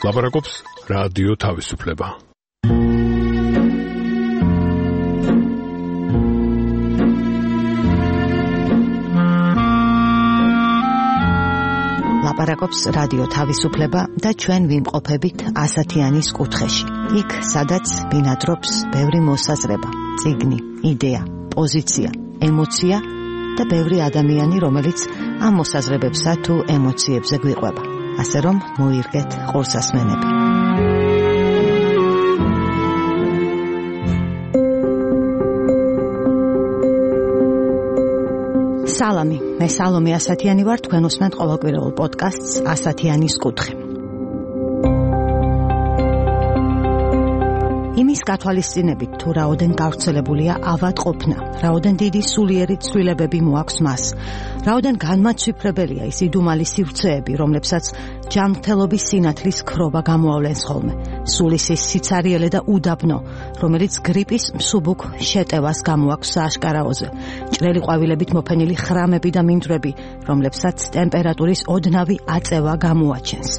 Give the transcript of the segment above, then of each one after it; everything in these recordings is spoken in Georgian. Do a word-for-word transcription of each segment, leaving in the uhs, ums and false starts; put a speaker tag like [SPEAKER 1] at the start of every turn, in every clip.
[SPEAKER 1] ლაპარაკობს რადიო თავისუფლება.
[SPEAKER 2] ლაპარაკობს რადიო თავისუფლება და ჩვენ ვიმყოფებით ასათიანის კუთხეში. იქ, სადაც ბინადრობს ბევრი მოსაზრება, წიგნი, იდეა, პოზიცია, ემოცია და ბევრი ადამიანი, რომელიც ამ მოსაზრებებსა თუ ემოციებზე გვიყვება. ასე რომ მოირგეთ ყურსასმენები. სალამი, მე სალომე ასათიანი ვარ, თქვენ უსმენთ ყოველკვირეულ პოდკასტს ასათიანის კუთხე. იმის გათვალისწინებით თუ რაოდენ გავრცელებულია ავადყოფნა, რაოდენ დიდი სულიერი ცვლილებები მოაქვს მას, რაოდენ განმაცვიფრებელია ის იდუმალი სივრცეები, რომლებსაც ჯანმრთელობის სინათლის ქრობა გამოავლენს ხოლმე, სულისის სიცარიელე და უდაბნო, რომელიც გრიპის მსუბუქ შეტევას გამოაქვს სააშკარაოზე, ჭრელი ყვავილებით მოფენილი ხრამები და მინდვრები, რომლებსაც ტემპერატურის ოდნავი აწევა გამოაჩენს.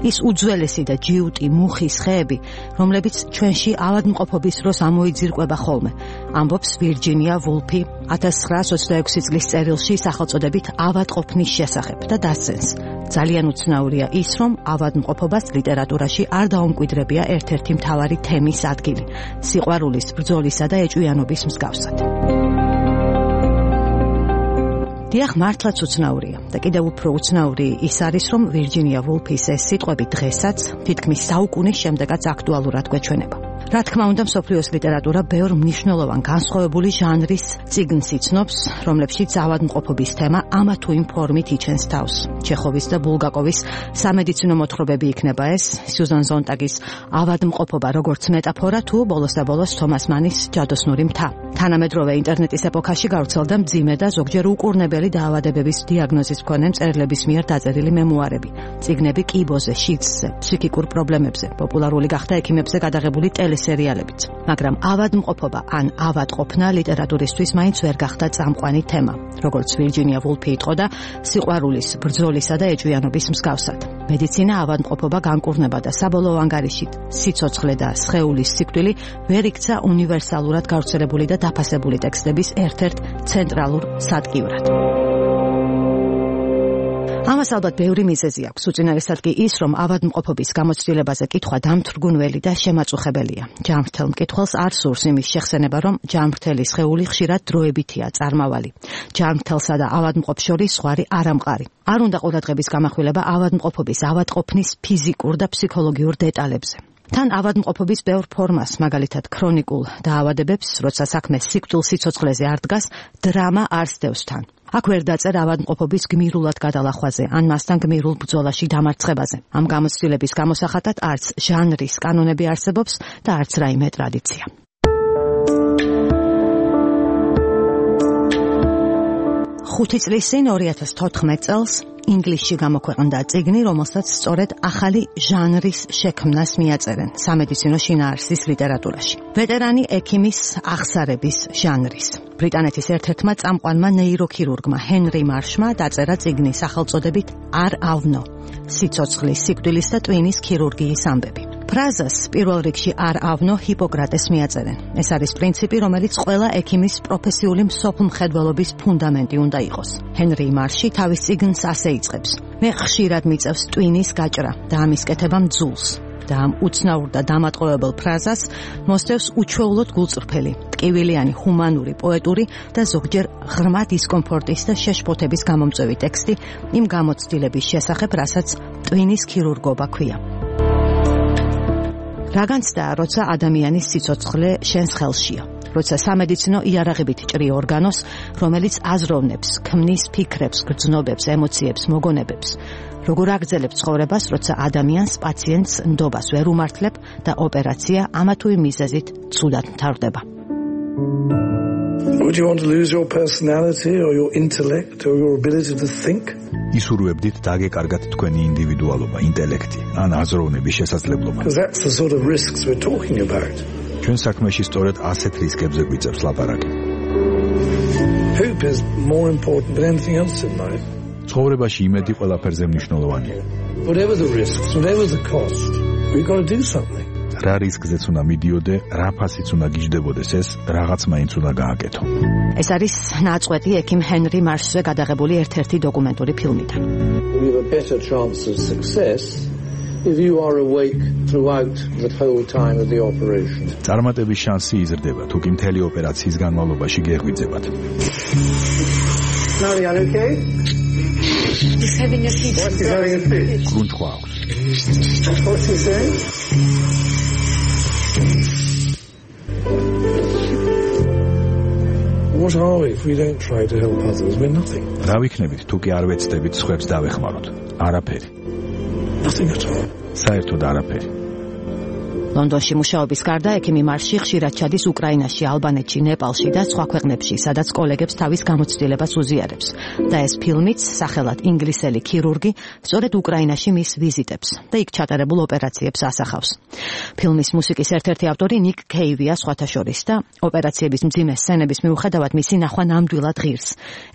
[SPEAKER 2] ის უძველესი და ჯიუტი მუხის ხეები, რომლებიც ჩვენში ავადმყოფობის დროს ამოიძირკვება ხოლმე, ამბობს ვირჯინია ვულფი ათას ცხრაას ოცდაექვსი წლის წერილში სახელწოდებით ავადყოფნის შესახებ და დასცენს. ძალიან უცნაურია ის, რომ ავადმყოფობას ლიტერატურაში არ დაუმკვიდრებია ერთ-ერთი მთავარი თემის ადგილი, სიყვარულის, ბრძოლისა და ეჭვიანობის მსგავსად. დიახ, მართლაც უცნაურია და კიდევ უფრო უცნაური ის არის, რომ ვირჯინია ვულფის ეს სიტყვები დღესაც, თითქმის საუკუნის შემდეგაც აქტუალურად გვეჩვენება. რა თქმა უნდა, მსოფლიოს ლიტერატურა ბევრ მნიშვნელოვან განსხვავებული ჟანრის წიგნს იცნობს, რომლებშიც ავადმყოფობის თემა ამა თუ იმ ფორმით იჩენს თავს. ჩეხოვის და ბულგაკოვის სამედიცინო მოთხრობები იქნება ეს, სიუზან ზონტაგის ავადმყოფობა როგორც მეტაფორა თუ ბოლოს და ბოლოს თომას მანის ჯადოსნური მთა. თანამედროვე ინტერნეტის ეპოქაში გავრცელდა მძიმე და ზოგჯერ უკურნებელი დაავადებების დიაგნოზის მქონე მწერლების მიერ დაწერილი მემუარები, წიგნები კიბოზე, შიდსზე, ფსიქიკურ პრობლემებზე, პოპულარული გახდა ექიმებზე გადაღებული ტელესერიალებიც. მაგრამ ავადმყოფობა ან ავადყოფნა ლიტერატურისთვის მაინც ვერ გახდა წამყვანი თემა, როგორც ვირჯინია ვულფი იტყოდა, სიყვარულის, ბრძოლისა და ეჭვიანობის მსგავსად. მედიცინა ავადმყოფობა განკურნება და საბოლოო ანგარიშით სიცოცხლე და სხეულის სიკვდილი ვერ იქცა უნივერსალურად გავრცელებული და დაფასებული ტექსტების ერთ-ერთ ცენტრალურ სადგივრად. ამას ალბათ ბევრი მიზეზი აქვს, უწინარესად კი ის, რომ ავადმყოფობის გამოცდილებაზე კითხვა დამთრგუნველი და შემაწუხებელია. ჯანმრთელ მკითხველს არ სურს იმის შეხსენება, რომ ჯანმრთელი სხეული ხშირად დროებითია წარმავალი. ჯანმრთელსა და ავადმყოფს შორის ზღვარი არ ამყარი. არ უნდა ყურადღების გამახვილება ავადმყოფობის, ავადყოფნის ფიზიკურ და ფსიქოლოგიურ დეტალებზე. თან ავადმყოფობის ბევრ ფორმას, მაგალითად ქრონიკულ დაავადებებს, როცა საქმე სიკვდილ-სიცოცხლეზე არ დგას, დრამა არ სდევს თან. აქ ვერ დაწერ ავადმყოფობის გმირულად გადალახვაზე, ან მასთან გმირულ ბრძოლაში დამარცხებაზე. ამ გამოცდილების გამოსახატად არც ჟანრის კანონები არსებობს და არც რაიმე ტრადიცია. ხუთი წლის წინ ორი ათას თოთხმეტ წელს ინგლისში გამოქვეყნდა წიგნი, რომელსაც სწორედ ახალი ჟანრის შექმნას მიაწერენ სამედიცინო შინაარსის ლიტერატურაში. ვეტერანი ექიმის აღსარების ჟანრის. ბრიტანეთის ერთ-ერთმა წამყვანმა ნეიროქირურგმა ჰენრი მარშმა დაწერა წიგნი სახელწოდებით არ ავნო, სიცოცხლის, სიკვდილის და ტვინის ქირურგიის ამბები. ფრაზას პირველ რიგში არ ავნო ჰიპოკრატეს მიაწერენ. ეს არის პრინციპი, რომელიც ყველა ექიმის პროფესიული მსოფლმხედველობის ფუნდამენტი უნდა იყოს. ჰენრი მარში თავის წიგნს ასე იწყებს: მე ხშირად მიწევს ტვინის გაჭრა და ამის კეთება მძულს. და ამ უცნაურ და დამატყუებელ ფრაზას მოსდევს უჩვეულოდ გულწრფელი, ტკივილიანი, ჰუმანური, პოეტური და ზოგჯერ ღრმა დისკომფორტის და შეშფოთების გამომწვევი ტექსტი იმ გამოცდილების შესახებ, რასაც ტვინის ქირურგობა ქვია. რა განცდა, როცა ადამიანის სიცოცხლე შენს ხელშია, როცა სამედიცინო იარაღებით ჭრი ორგანოს, რომელიც აზროვნებს, ქმნის ფიქრებს, გრძნობებს, ემოციებს, მოგონებებს. როგორ აგრძელებ ცხოვრებას, როცა ადამიანს, პაციენტს ნდობას ვერ უმართლებ და ოპერაცია ამა თუ იმ მიზეზით ცუდად მთავრდება.
[SPEAKER 3] Would you want to lose your personality or your intellect or your ability to think?
[SPEAKER 4] ისურვებდით დაგეკარგათ თქვენი ინდივიდუალობა, ინტელექტი, ან აზროვნების შესაძლებლობა.
[SPEAKER 3] Because that's the sort of risks we're talking about.
[SPEAKER 4] ჩვენ საქმეში სწორედ ასეთ რისკებზე გვიწევს ლაპარაკი.
[SPEAKER 3] Hope is more important than anything else in life.
[SPEAKER 4] ცხოვრებაში იმედი ყველაფერზე მნიშვნელოვანია.
[SPEAKER 3] Whatever the risks, whatever the cost. We've got to do something.
[SPEAKER 4] რა რისკზეც უნდა მიდიოდე, რა ფასიც უნდა გიждდებოდეს ეს, რაღაც მაინც უნდა გააკეთო.
[SPEAKER 2] ეს არის ნაწყვეტი ექიმ ჰენრი მარშზე გადაღებული ერთ-ერთი დოკუმენტური ფილმიდან.
[SPEAKER 3] We have a better chance of success if you are awake throughout the whole time of the operation.
[SPEAKER 4] წარმატების შანსი იზრდება, თუ კი მთელი ოპერაციის განმავლობაში გეღვიძებათ.
[SPEAKER 3] Marianne, okay?
[SPEAKER 5] He's having a fit.
[SPEAKER 3] What's he having a fit?
[SPEAKER 4] გრუნჩხვა აქვს.
[SPEAKER 3] What's he saying? What are we if we don't try to help others? We're nothing.
[SPEAKER 4] რა ვიქნებით, თუ კი არ ვეცდებით სხვებს დავეხმაროთ? არაფერი.
[SPEAKER 3] Nothing at all.
[SPEAKER 4] საერთოდ არაფერი.
[SPEAKER 2] ლონდონში მუშაობის გარდა ექიმი მარში ხშირად ჩადის უკრაინაში, ალბანეთში, ნეპალში და სხვა ქვეყნებში, სადაც კოლეგებს თავის გამოცდილებას უზიარებს. და ეს ფილმიც, სახელად ინგლისელი ქირურგი, სწორედ უკრაინაში მის ვიზიტებს და იქ ჩატარებულ ოპერაციებს ასახავს. ფილმის მუსიკის ერთ-ერთი ავტორი ნიკ კეივია სხვათა შორის და ოპერაციების მძიმე სცენების მიუხედავად მისი ნახვა ნამდვილად ღირს.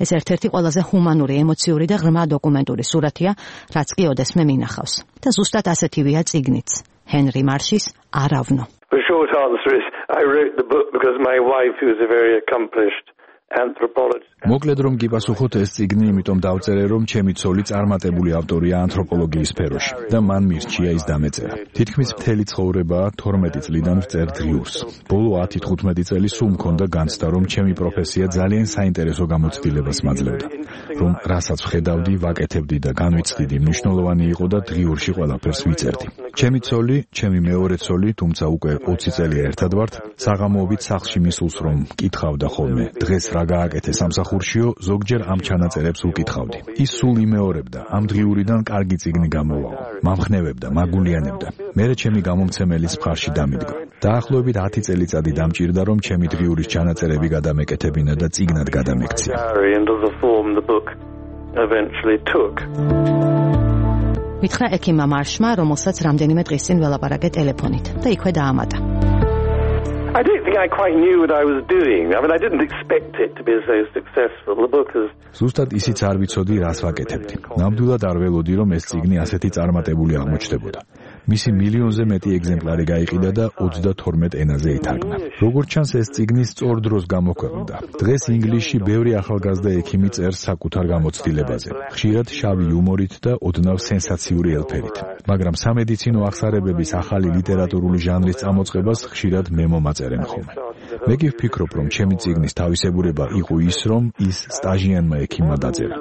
[SPEAKER 2] ეს ერთ-ერთი ყველაზე ჰუმანური, ემოციური და ღრმა დოკუმენტური სურათია, რაც კი ოდესმე მინახავს. და ზუსტად ასეთივეა წიგნიც. Henry Marsh's Aravno.
[SPEAKER 6] The short answer is I wrote the book because my wife, who is a very accomplished anthropologist.
[SPEAKER 4] მოკლედ რომ გიპასუხოთ ეს წიგნი, იმიტომ დავწერე რომ ჩემი ცოლი წარმატებული ავტორია ანთროპოლოგიის სფეროში და მან მირჩია ის დამეწერა. თითქმის მთელი ცხოვრება თორმეტი წლიდან ვწერ დღიურს. ბოლო ათი თხუთმეტი წელი სულ მქონდა განცდა რომ ჩემი პროფესია ძალიან საინტერესო გამოცდილებას მაძლევდა. რომ რასაც ვხედავდი, ვაკეთებდი და განვიცდიდი, მნიშვნელოვანი იყო და დღიურში ყველაფერს ვიწერდი. ჩემი ცოლი, ჩემი მეორე ცოლი, თუმცა უკვე ოცი წელი ერთად ვართ, საღამოობით სახლში მისულს რომ მკითხავდა ხოლმე, დღეს რა გააკეთე სამსახურშიო, ზოგჯერ ამ ჩანაწერებს უკითხავდი. ის სულ იმეორებდა, ამ დღიურიდან კარგი წიგნი გამოვაო, მამხნევებდა, მაგულიანებდა. მერე ჩემი გამომცემელის მხარში დამიდგა. დაახლოებით ათი წელიწადი დამჭირდა რომ ჩემი დღიურის ჩანაწერები გადამეკეთებინა და წიგნად გადამექცია.
[SPEAKER 2] მითხრა ექიმმა მარშმა, რომელსაც რამდენიმე დღის წინ ველაპარაკე ტელეფონით და იქვე დაამატა.
[SPEAKER 6] I don't think I quite knew what I was doing. I mean, I didn't expect it to be so successful. The book is
[SPEAKER 4] ზუსტად ისიც არ ვიცოდი, რას ვაკეთებდი. ნამდვილად არ ველოდი, რომ ეს წიგნი ასეთი წარმატებული აღმოჩნდებოდა. მისი მილიონზე მეტი ეგზემპლარი გაიყიდა და ოცდათორმეტ ენაზე ითარგმნა. როგორც ჩანს, ეს წიგნი სწორ დროს გამოქვეყნდა. დღეს ინგლისში ბევრი ახალგაზრდა ექიმი წერს საკუთარ გამოცდილებაზე, ხშირად შავი იუმორით და ოდნავ სენსაციური ელფერით. მაგრამ სამედიცინო აღსარებების ახალი ლიტერატურული ჟანრის წამოწყებას ხშირად მე მომაწერენ ხოლმე. მე კი ვფიქრობ, რომ ჩემი წიგნის თავისებურება იყო ის, რომ ის სტაჟიანმა ექიმმა დაწერა.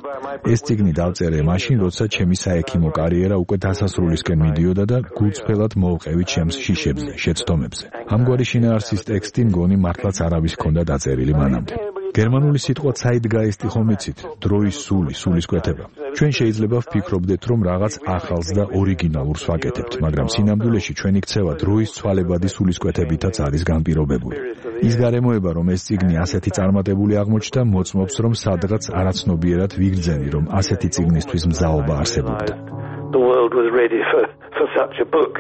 [SPEAKER 4] ეს წიგნი დავწერე მაშინ, როცა ჩემი საექიმო კარიერა უკვე დასასრულისკენ მიდიოდა და გულწრფელად მოვყევი ჩემს შიშებზე, შეცდომებზე. ამგვარი შინაარსის ტექსტი მგონი მართლაც არავის ჰქონდა დაწერილი მანამდე. გერმანული სიტყვა Zeitgeist-ი ხომ იცით, დროის სული, სულისკვეთება. ჩვენ შეიძლება ვფიქრობდეთ, რომ რაღაც ახალს და ორიგინალურს ვაკეთებთ, მაგრამ სინამდვილეში ჩვენი ქცევა დროის ცვალებადი სულისკვეთებითაც არის განპირობებული. ის გარემოება, რომ ეს წიგნი ასეთი წარმატებული აღმოჩნდა, მოწმობს, რომ სადღაც არაცნობიერად ვიგრძენი, რომ ასეთი წიგნისთვის მზაობა არსებობდა.
[SPEAKER 6] The world was ready for, for such a book.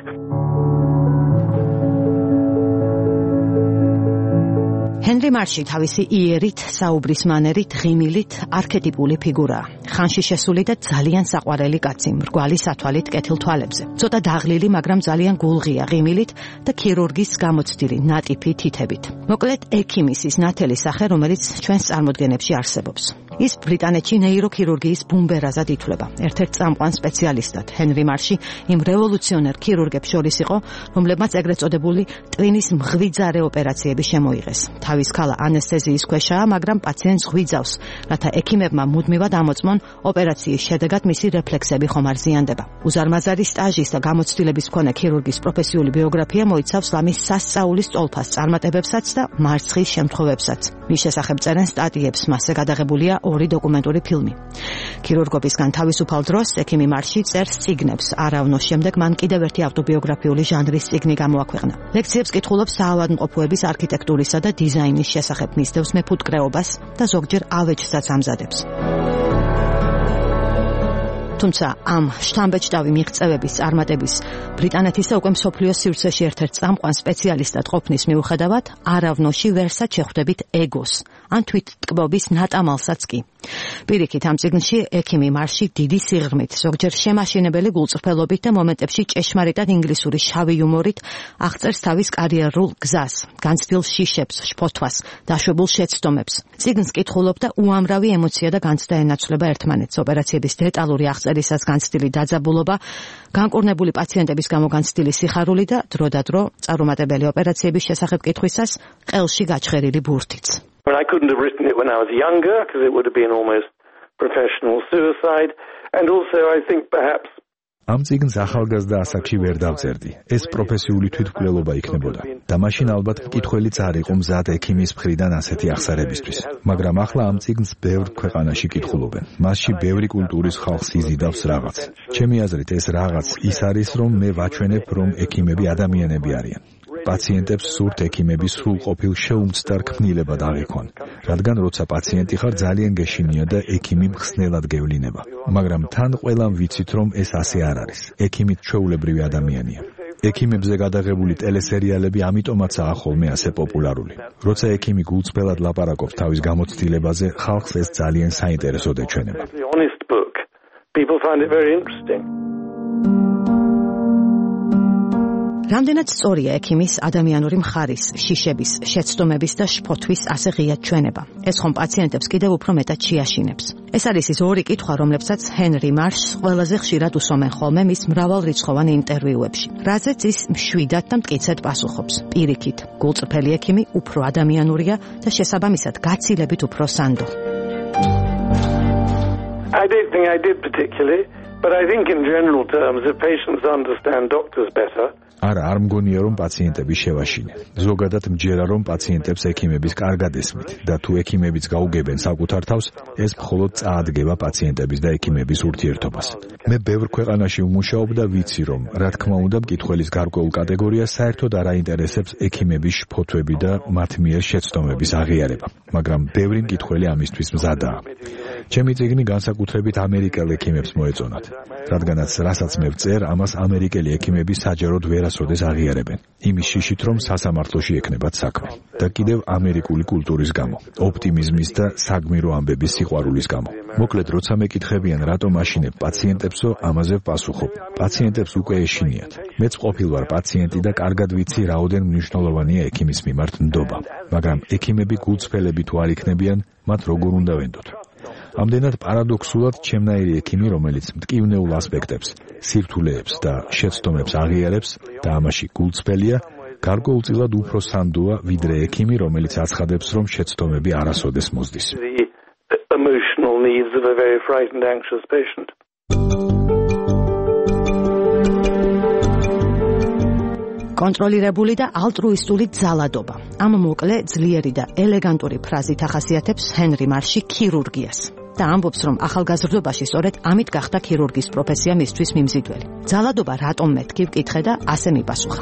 [SPEAKER 2] ჰენრი მარში თავისი იერით, საუბრის მანერით, ღიმილით არქეტიპული ფიგურაა. ხანში შესული და ძალიან საყვარელი კაცი, მრგვალი სათვალით კეთილ თვალებზე. ცოტა დაღლილი, მაგრამ ძალიან გულღია ღიმილით და ქირურგის გამოცდილი ნატიფი თითებით. მოკლედ, ექიმის ის ნათელი სახე, რომელიც ჩვენს წარმოდგენებში არსებობს. ის ბრიტანეთში ნეიროქირურგიის ბუმბერაზად ითვლება. ერთ-ერთ წამყვან სპეციალისტად ჰენრი მარში იმ რევოლუციონერ ქირურგებს შორის იყო, რომლებმაც ეგრეთ წოდებული ტვინის მღვიძარე ოპერაციები შემოიღეს. თავის ქალა ანესთეზიის ქვეშაა, მაგრამ პაციენტს ღვიძავს, რათა ექიმებმა მუდმივად ამოწმონ ოპერაციის შედეგად მისი რეფლექსები ხომ არ ზიანდება. უზარმაზარი სტაჟის და გამოცდილების მქონე ქირურგის პროფესიული ბიოგრაფია მოიცავს ლამის სასწაულის წოლფას წარმატებებსაც და მარცხის შემთხვევებსაც. მის შესახებ წერენ სტატიებს, მასზე გადაღებულია ორი დოკუმენტური ფილმი. ქირურგობისგან თავისუფალ დროს ექიმი მარში წერს წიგნებს. არავნოს შემდეგ მან კიდევ ერთი ავტობიოგრაფიული ჟანრის წიგნი გამოაქვეყნა. ლექციებს კითხულობს საავადმყოფოების არქიტექტურისა და დიზაინის შესახებ, მისდევს მეფუტკრეობას და ზოგჯერ ავეჯსაც ამზადებს. თუმცა ამ შთამბეჭდავი მიღწევების წარმატების ბრიტანეთის და უკვე მსოფლიოს სივრცეში ერთ-ერთ წამყვან სპეციალისტად ყოფნის მიუხედავად არავნოში ვერსად შეხვდებით ეგოს ან თვითტკბობის ნატამალსაც კი. პირიქით ამ წიგნში ექიმი მარში დიდი სიღრმით, ზოგჯერ შემაშინებელი გულწრფელობით და მომენტებში ჭეშმარიტად ინგლისური შავი იუმორით აღწერს თავის კარიერულ გზას, განცდილ შიშებს, შფოთვას, დაშვებულ შეცდომებს. წიგნს კითხულობ და უამრავი ემოცია და განცდა ენაცვლება ერთმანეთს. ოპერაციების დეტალური აღწერისას განცდილი დაძაბულობა, განკურნებული პაციენტების გამო განცდილი სიხარული და დროდადრო წარუმატებელი ოპერაციების შესახებ კითხვისას ყელში გაჩხერილი ბურთიც.
[SPEAKER 6] Well, I couldn't have written it when I was younger because it would have been almost professional suicide, and also I think perhaps
[SPEAKER 4] ამ წიგნს ახალგაზრდა ასაკში ვერ დავწერდი. ეს პროფესიული თვითმკვლელობა იქნებოდა. და მაშინ ალბათ მკითხველი არ იყო მზად ექიმის მხრიდან ასეთი აღსარებისთვის. მაგრამ ახლა ამ წიგნს ბევრ ქვეყანაში კითხულობენ. მასში ბევრი კულტურის ხალხს იზიდავს რაღაც. ჩემი აზრით ეს რაღაც ის არის, რომ მე ვაჩვენებ, რომ ექიმები ადამიანები არიან. პაციენტებს სურთ ექიმების სრულყოფილ შეუმცდარ ქმნილებად აღიქვან, რადგან როცა პაციენტი ხარ ძალიან გეშინია და ექიმი მხსნელად გევლინება. მაგრამ თან ყველამ ვიცით, რომ ეს ასე არ არის. ექიმი ჩვეულებრივი ადამიანია. ექიმებზე გადაღებული ტელესერიალები ამიტომაცაა ხოლმე ასე პოპულარული. როცა ექიმი გულწრფელად ლაპარაკობს თავის გამოცდილებაზე, ხალხს ეს ძალიან საინტერესოდ ეჩვენება.
[SPEAKER 6] People find it very interesting.
[SPEAKER 2] რამდენად სწორია ექიმის ადამიანური მხარის, შიშების, შეცდომების და შფოთვის ასე ღიად ჩვენება. ეს ხომ პაციენტებს კიდევ უფრო მეტად შეაშინებს. ეს არის ის ორი კითხვა, რომლებსაც ჰენრი მარშს ყველაზე ხშირად უსვამენ ხოლმე მის მრავალრიცხოვან ინტერვიუებში. რაზეც ის მშვიდად და მტკიცედ პასუხობს. პირიქით, გულწრფელი ექიმი უფრო ადამიანურია და შესაბამისად გაცილებით უფრო სანდო.
[SPEAKER 6] I don't think I did particularly, but I think in general terms if patients understand doctors better
[SPEAKER 4] არა, არ მგონია, რომ პაციენტები შევაშინեն. ზოგადად მჯერა, რომ პაციენტებს ექიმების კარგად ესმით და თუ ექიმებიც გაუგებენ საკუთარ თავს, ეს მხოლოდ წაადგება პაციენტების და ექიმების ურთიერთობას. მე ბევრ ქვეყანაში ვმუშაობ და ვიცი, რომ რა თქმა უნდა, მკითხველის გარკვეულ კატეგორიას საერთოდ არ აინტერესებს ექიმების შფოთვები და მათ მიერ შეცდომების აღიარება, მაგრამ ბევრი მკითხველი ამისთვის მზადაა. ჩემი წიგნი განსაკუთრებით ამერიკელ ექიმებს მოეწონათ, რადგანაც რასაც მე ვწერ, ამას ამერიკელი ექიმები საჯაროდ ვერასოდეს აღიარებენ. იმის შიშით, რომ სასამართლოში ექნებათ საქმე და კიდევ ამერიკული კულტურის გამო, ოპტიმიზმის და საგმირო ამბების სიყვარულის გამო. მოკლედ, როცა მეკითხებიან, რატომ აშინებ პაციენტებსო, ამაზე ვპასუხობ. პაციენტებს უკვე ეშინიათ. მეც ყოფილ ვარ პაციენტი და კარგად ვიცი, რაოდენ მნიშვნელოვანია ექიმის მიმართ ნდობა. მაგრამ ექიმები გულწრფელები თუ არ იქნებიან, მათ როგორ უნდა ვენდოთ? ამდენად პარადოქსულად ჩემნაირი ექიმი, რომელიც მტკივნეულ ასპექტებს, სირთულეებს და შეცდომებს აღიარებს და ამაში გულწრფელია, გარკვეულწილად უფრო სანდოა, ვიდრე ექიმი, რომელიც აცხადებს, რომ შეცდომები არასოდეს მოსდის.
[SPEAKER 6] Emotional needs of a very frightened, anxious patient.
[SPEAKER 2] კონტროლირებული და ალტრუისტული ძალადობა. ამ მოკლე, ძლიერი და ელეგანტური ფრაზით ახასიათებს ჰენრი მარში ქირურგიას. და ამბობს, რომ ახალგაზრდობაში სწორედ ამით გახდა ქირურგის პროფესია მისთვის მიმზიდველი. ძალადობა რატომ მეთქი ვკითხე და ასე მიპასუხა.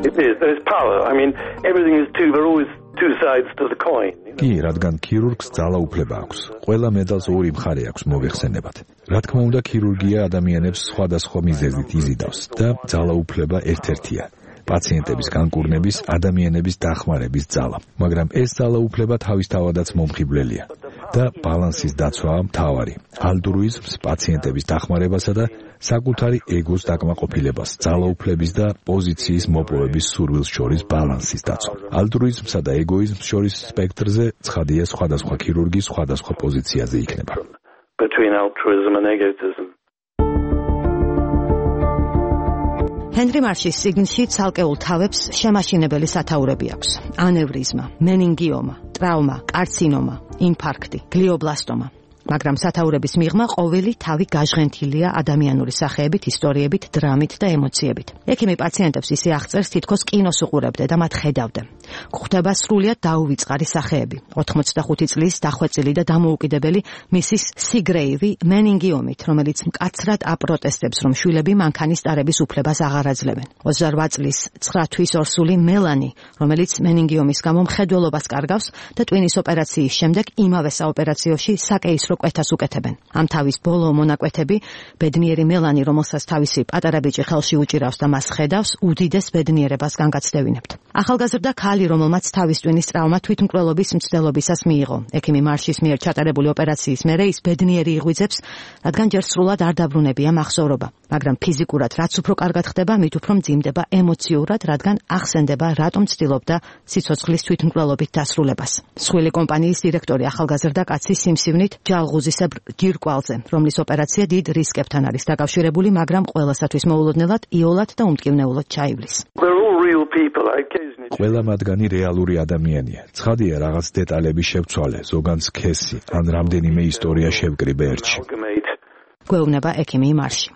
[SPEAKER 6] It is, there is power. I mean, everything is two, there are always two sides to the coin.
[SPEAKER 4] კი, რადგან ქირურგს ძალაუფლება აქვს. ყველა მედალს ორი მხარე აქვს მოვეხსენებათ. რა თქმა უნდა, ქირურგია ადამიანებს სხვადასხვა მიზეზით იზიდავს და ძალაუფლება ერთ-ერთია. პაციენტების განკურნების, ადამიანების დახმარების ძალა. მაგრამ ეს ძალაუფლება თავისთავადაც მომხიბვლელია და ბალანსის დაცვაა მთავარი. ალტრუიზმს, პაციენტების დახმარებასა და საკუთარი ეგოს დაკმაყოფილებას, ძალაუფლების და პოზიციის მოპოვების სურვილს შორის ბალანსის დაცვა. ალტრუიზმსა და ეგოიზმს შორის სპექტრზე ცხადია სხვადასხვა ქირურგი სხვადასხვა პოზიციაზე იქნება.
[SPEAKER 6] Between altruism and egotism.
[SPEAKER 2] ჰენრი მარშის წიგნში ცალკეულ თავებს შემაშინებელი სათაურები აქვს. ანევრიზმა, მენინგიომა, ტრავმა, კარცინომა, ინფარქტი, გლიობლასტომა. მაგრამ სათაურების მიღმა ყოველი თავი გაჟღენთილია ადამიანური სახეებით, ისტორიებით, დრამით და ემოციებით. ექიმი პაციენტებს ისე აღწერს, თითქოს კინოს უყურებდე და მათ ხედავდე. გვხვდება სრულიად დაუვიწყარი სახეები. ოთხმოცდახუთი წლის დახვეწილი და დამოუკიდებელი მისის სიგრეივი მენინგიომით, რომელიც მკაცრად აპროტესტებს, რომ შვილები მანქანის ტარების უფლებას აღარ აძლევენ. ოცდარვა წლის ცხრა თვის ორსული მელანი, რომელიც მენინგიომის გამო მხედველობას კარგავს და ტვინის ოპერაციის შემდეგ იმავე საოპერაციოში საკეისრო უფრო კვეთას უკეთებენ. ამ თავის ბოლო მონაკვეთები ბედნიერი მელანი, რომელსაც თავისი პატარა ბიჭი ხელში უჭირავს და მას ხედავს, უდიდეს ბედნიერებას განგაცდევინებთ. ახალგაზრდა ქალი, რომელმაც თავის ტვინის ტრავმა თვითმკვლელობის მცდელობისას მიიღო. ექიმი მარშის მიერ ჩატარებული ოპერაციის მერე ის ბედნიერი იღვიძებს, რადგან ჯერ სრულად არ დაბრუნებია მახსოვრობა, მაგრამ ფიზიკურად რაც უფრო კარგად ხდება, მით უფრო მძიმდება ემოციურად, რადგან ახსენდება, რატომ ცდილობდა სიცოცხლის თვითმკვლელობით დასრულებას. მსხვილი კომპანიის დირექტორი ახალგაზრდა კაცი სიმსივნით ჯალღუზისებრ ჯირკვალზე, რომლის ოპერაცია დიდ რისკებთან არის დაკავშირებული, მაგრამ ყველასათვის მოულოდნელად იოლად და უმტკივნეულოდ ჩაივლის.
[SPEAKER 4] ყველა მათგანი რეალური ადამიანია. ცხადია, რაღაც დეტალები შევცვალე, ზოგან სქესი, ან რამდენიმე ისტორია შევკრიბე ერთში.
[SPEAKER 2] გვეუბნება ექიმი მარში.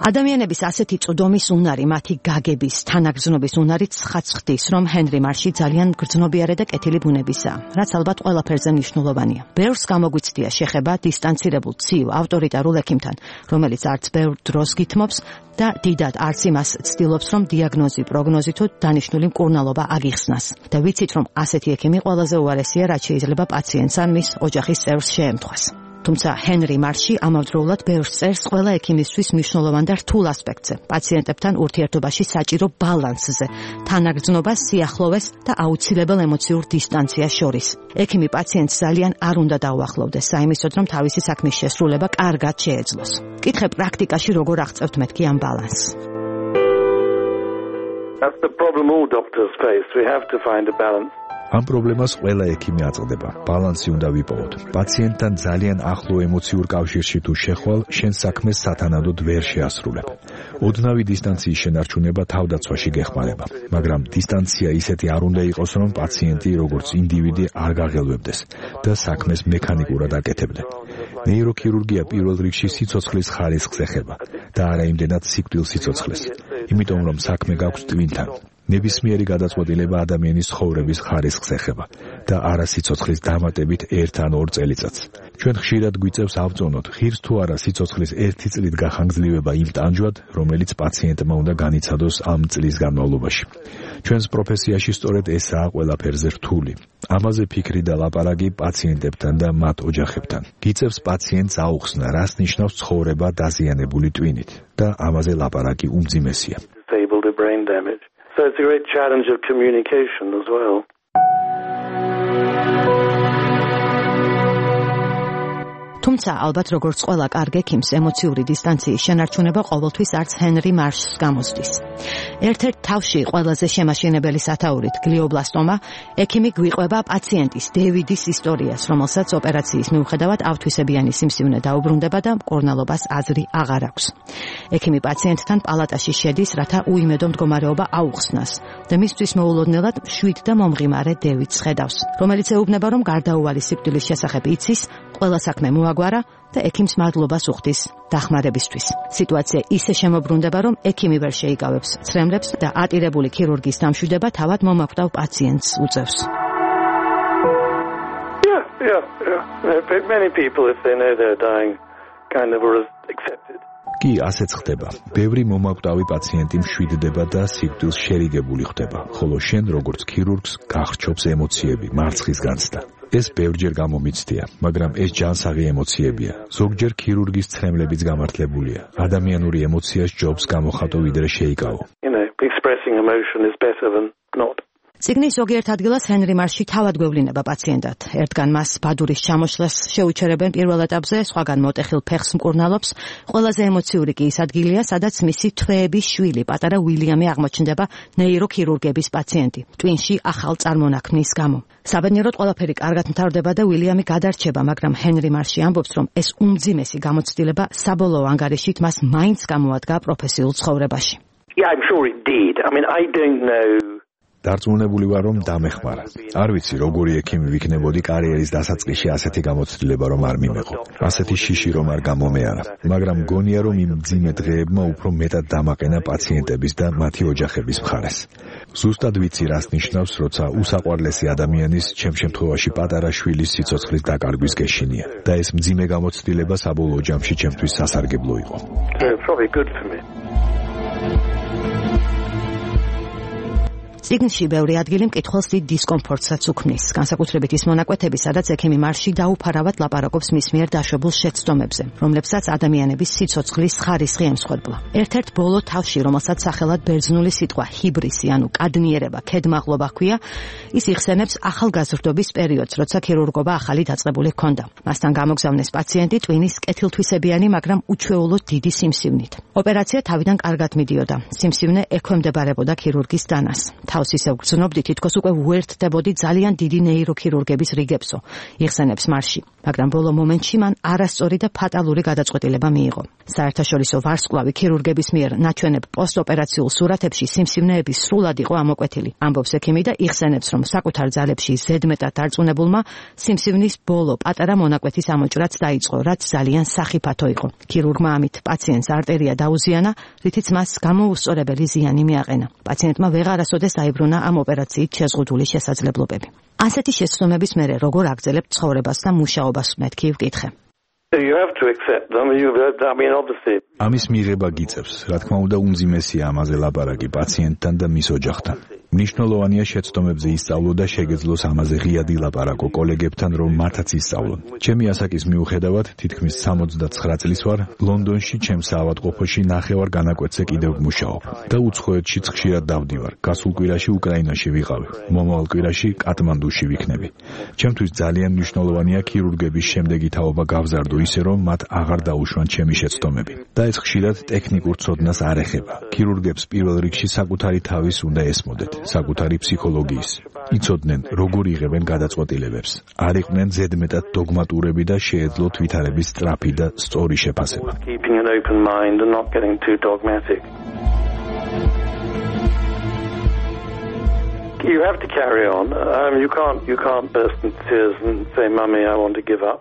[SPEAKER 2] ადამიანების ასეთი წვდომის უნარი, მათი გაგების, თანაგრძნობის უნარიც ხაცხდის, რომ ჰენრი მარში ძალიან გრძნობიარე და კეთილი ბუნებისაა, რაც ალბათ ყველაფერზე მნიშვნელოვანია. ბევრს გამოგვიცდია შეხება დისტანცირებულ ცივ ავტორიტარულ ექიმთან, რომელიც არც ბევრ დროს გითმობს და დიდად არც იმას ცდილობს, რომ დიაგნოზი, პროგნოზი თუ დანიშნული მკურნალობა აგიხსნას. და ვიცით, რომ ასეთი ექიმი ყველაზე უარესია, რაც შეიძლება პაციენტს ან მის ოჯახის წევრს შეემთხვას. თუმცა ჰენრი მარში ამავდროულად ბევრს წერს ყველა ექიმისთვის მნიშვნელოვან და რთულ ასპექტზე, პაციენტებთან ურთიერთობაში საჭირო ბალანსზე, თანაგრძნობას, სიახლოვეს და აუცილებელ ემოციურ დისტანციას შორის. ექიმი პაციენტს ძალიან არ უნდა დაუახლოვდეს, საიმისოდ, რომ თავისი საქმის შესრულება კარგად შეეძლოს. კითხე პრაქტიკაში როგორ აღწევთ მეთქი ამ ბალანსს?
[SPEAKER 6] That's the problem all doctors face. We have to find a balance.
[SPEAKER 4] ამ პრობლემას ყველა ექიმი აწყდება. ბალანსი უნდა ვიპოვოთ. პაციენტთან ძალიან ახლო ემოციურ კავშირში თუ შეხვალ, შენ საქმეს სათანადოდ ვერ შეასრულებ. ოდნავი დისტანციის შენარჩუნება თავდაცვაში გეხმარება, მაგრამ დისტანცია ისეთი არ უნდა იყოს, რომ პაციენტი როგორც ინდივიდი არ გაღელვებდეს და საქმეს მექანიკურად აკეთებდნენ. ნეიროქირურგია პირველ რიგში სიცოცხლის ხარისხს ეხება და არა იმდენად სიკვდილ სიცოცხლეს. იმიტომ რომ საქმე გაქვს ტვინთან. ნებისმიერი გადაწყვეტილება ადამიანის ცხოვრების ხარისხს ეხება და არა სიცოცხლის დამატებით ერთ ან ორ წელიწადს. ჩვენ ხშირად გვიწევს ავწონოთ, ღირს თუ არა სიცოცხლის ერთი წლით გახანგრძლივება იმ ტანჯვად, რომელიც პაციენტმა უნდა განიცადოს ამ წლის განმავლობაში. ჩვენს პროფესიაში სწორედ ესაა ყველაფერზე რთული. ამაზე ფიქრი და ლაპარაკი პაციენტებთან და მათ ოჯახებთან. გიწევს პაციენტს აუხსნა, რას ნიშნავს ცხოვრება დაზიანებული ტვინით და ამაზე ლაპარაკი უმძიმესია.
[SPEAKER 6] So it's a great challenge of communication as well.
[SPEAKER 2] თუმცა ალბათ როგორც ყველა კარგ ექიმს ემოციური დისტანციის შენარჩუნება ყოველთვის არც ჰენრი მარშს გამოსდის. ერთ-ერთ თავში ყველაზე შემაშენებელი სათაურით გლიობლასტომა ექიმი გვიყვება პაციენტის დევიდის ისტორიას, რომელსაც ოპერაციის მიუხედავად ავთვისებიანი სიმსივნე დაუბრუნდება და მკურნალობას აზრი აღარ აქვს. ექიმი პაციენტთან პალატაში შედის, რათა უიმედო მდგომარეობა აუხსნას და მისთვის მოულოდნელად მშვიდ და მომღიმარე დევიდს ხედავს, რომელიც ეუბნება, რომ გარდაუვალი სიკვდილის შესახებ იცის, ყველა საქმე მოაგვარა და ექიმს მადლობას უხდის დახმარებისთვის. სიტუაცია ისე შემოbrunდება, რომ ექიმი ვერ შეიკავებს ცრემლებს და ატირებული ქირურგის დამშვიდება თავად მომაკვდავ პაციენტს უწევს.
[SPEAKER 6] Yeah, yeah, yeah. Many people, if they know they're dying, kind of are accepted.
[SPEAKER 4] კი, ასეც ხდება. ბევრი მომაკვდავი პაციენტი მშვიდდება და სიკვდილს შერიგებული ხდება, ხოლო შენ როგორც ქირურგს გახრჩობს ემოციები, მარცხის განცდა. ეს ბევრჯერ გამომიცდია, მაგრამ ეს ჯანსაღი ემოციებია. ზოგჯერ ქირურგის ცრემლებიც გამართლებულია. ადამიანური ემოცია სჯობს გამოხატო ვიდრე შეიკავო.
[SPEAKER 6] You know, expressing emotion is better than not.
[SPEAKER 2] ციგნის ზოგიერთ ადგილას ჰენრი მარში თავად გვევლინება პაციენტად. ერთგან მას ბადურის ჩამოშლას შეუჩერებენ პირველ ეტაპზე, სხვაგან მოტეხილ ფეხს მკურნალობს. ყველაზე ემოციური კი ის ადგილია, სადაც მისი თვეების შვილი, პატარა უილიამი აღმოჩნდება ნეიროქირურგების პაციენტი, ტვინში ახალ წარმონაქმნის გამო. საბედნიეროდ ყველაფერი კარგად მთავრდება და უილიამი გადარჩება, მაგრამ ჰენრი მარში ამბობს, რომ ეს უმძიმესი გამოცდილება საბოლოო ანგარიშით მას მაინც გამოადგა პროფესიულ ცხოვრებაში.
[SPEAKER 6] Yeah, I'm sure it did. I mean, I don't know.
[SPEAKER 4] დარწმუნებული ვარ, რომ დამეხმარა. არ ვიცი, როგორი ექიმი ვიქნებოდი კარიერის დასაწყისში ასეთი გამოცდილება რომ არ მიმეყო. ასეთი შიში რომ არ გამომეარა. მაგრამ მგონია, რომ იმ მძიმე დღეებმა უფრო მეტად დამაყენა პაციენტების და მათი ოჯახების მხარეს. ზუსტად ვიცი, რას ნიშნავს, როცა უსაყვარლესი ადამიანის, ჩემ შემთხვევაში პატარა შვილის სიცოცხლის დაკარგვის გეშინია. და ეს მძიმე გამოცდილება საბოლოო ჯამში ჩემთვის სასარგებლო იყო.
[SPEAKER 6] It's probably good for me.
[SPEAKER 2] წიგნში ბევრი ადგილი მკითხველს დიდ დისკომფორტსაც უქმნის, განსაკუთრებით ის მონაკვეთები, სადაც ექიმი მარში დაუფარავად ლაპარაკობს მის მიერ დაშვებულ შეცდომებზე, რომლებსაც ადამიანების სიცოცხლის ხარისხი ემსხვერპლა. ერთ-ერთ ბოლო თავში, რომელსაც სახელად ბერძნული სიტყვა ჰიბრისი, ანუ კადნიერება, ქედმაღლობა ჰქვია, ის იხსენებს ახალგაზრდობის პერიოდს, როცა ქირურგობა ახალი დაწყებული ჰქონდა. მასთან გამოგზავნეს პაციენტი ტვინის კეთილთვისებიანი, მაგრამ უჩვეულოდ დიდი სიმსივნით. ოპერაცია თავიდან კარგად მიდიოდა. სიმსივნე ექვემდებარებოდა ქირურგის დანას. თავს ისევ გრძნობდი, თითქოს უკვე უერთდებოდი ძალიან დიდი ნეიროქირურგების რიგებსო, იხსენებს მარში, მაგრამ ბოლო მომენტში მან არასწორი და ფატალური გადაწყვეტილება მიიღო. საერთაშორისო ვარსკვლავი ქირურგების მიერ ნაჩვენებ პოსტოპერაციულ სურათებში სიმსივნეები სრულად იყო ამოკვეთილი. ამბობს ექიმი და იხსენებს, რომ საკუთარ ძალებში ზედმეტად დარწმუნებულმა სიმსივნის ბოლო პატარა მონაკვეთის ამოჭრაც დაიწყო, რაც ძალიან სახიფათო იყო. ქირურგმა ამით პაციენტს არტერია დაუზიანა, რითიც მას გამოუსწორებელი ზიანი მიაყენა. პაციენტმა ვეღარასოდეს დაიბრუნა ამ ოპერაციით შეზღუდული შესაძლებლობები. ასეთი შეცდომების მერე როგორ აგრძელებთ ცხოვრებას და მუშაობას, მეთქი ვკითხე.
[SPEAKER 6] You have to accept them. You, I mean, obviously.
[SPEAKER 4] ამის მიღება გიწევს, რა თქმა უნდა, უმძიმესია ამაზე ლაპარაკი პაციენტთან და მის ოჯახთან. მნიშვნელოვანია შეცდომებზე ისწავლო და შეგეძლოს ამაზე ღიად ილაპარაკო კოლეგებთან, რომ მათაც ისწავლონ. ჩემი ასაკის მიუხედავად, თითქმის სამოცდაცხრა წლის ვარ, ლონდონში ჩემს ავადმყოფოში ნახევარ განაკვეთზე კიდევ ვმუშაობ და უცხოეთშიც ხშირად დავდივარ. გასულ კვირაში უკრაინაში ვიყავი, მომავალ კვირაში კატმანდუში ვიქნები. ჩემთვის ძალიან მნიშვნელოვანია ქირურგების შემდეგი თაობა გავზარდო ისე, რომ მათ აღარ დაუშვან ჩემი შეცდომები. და ეს ხშირად ტექნიკურ ცოდნას არ ეხება. ქირურგებს პირველ რიგში საკუთარი თავის უნდა ესმოდეთ. საკუთარი ფსიქოლოგიის. იცოდნენ, როგორ იღებენ გადაწყვეტილებებს. არ იყვნენ ზედმეტად დოგმატურები და შეეძლოთ ვითარების სწრაფი და სწორი შეფასება.
[SPEAKER 6] Keeping an open mind and not getting too dogmatic. You have to carry on. Um, you can't, you can't burst into tears and say, "Mummy, I want to give up."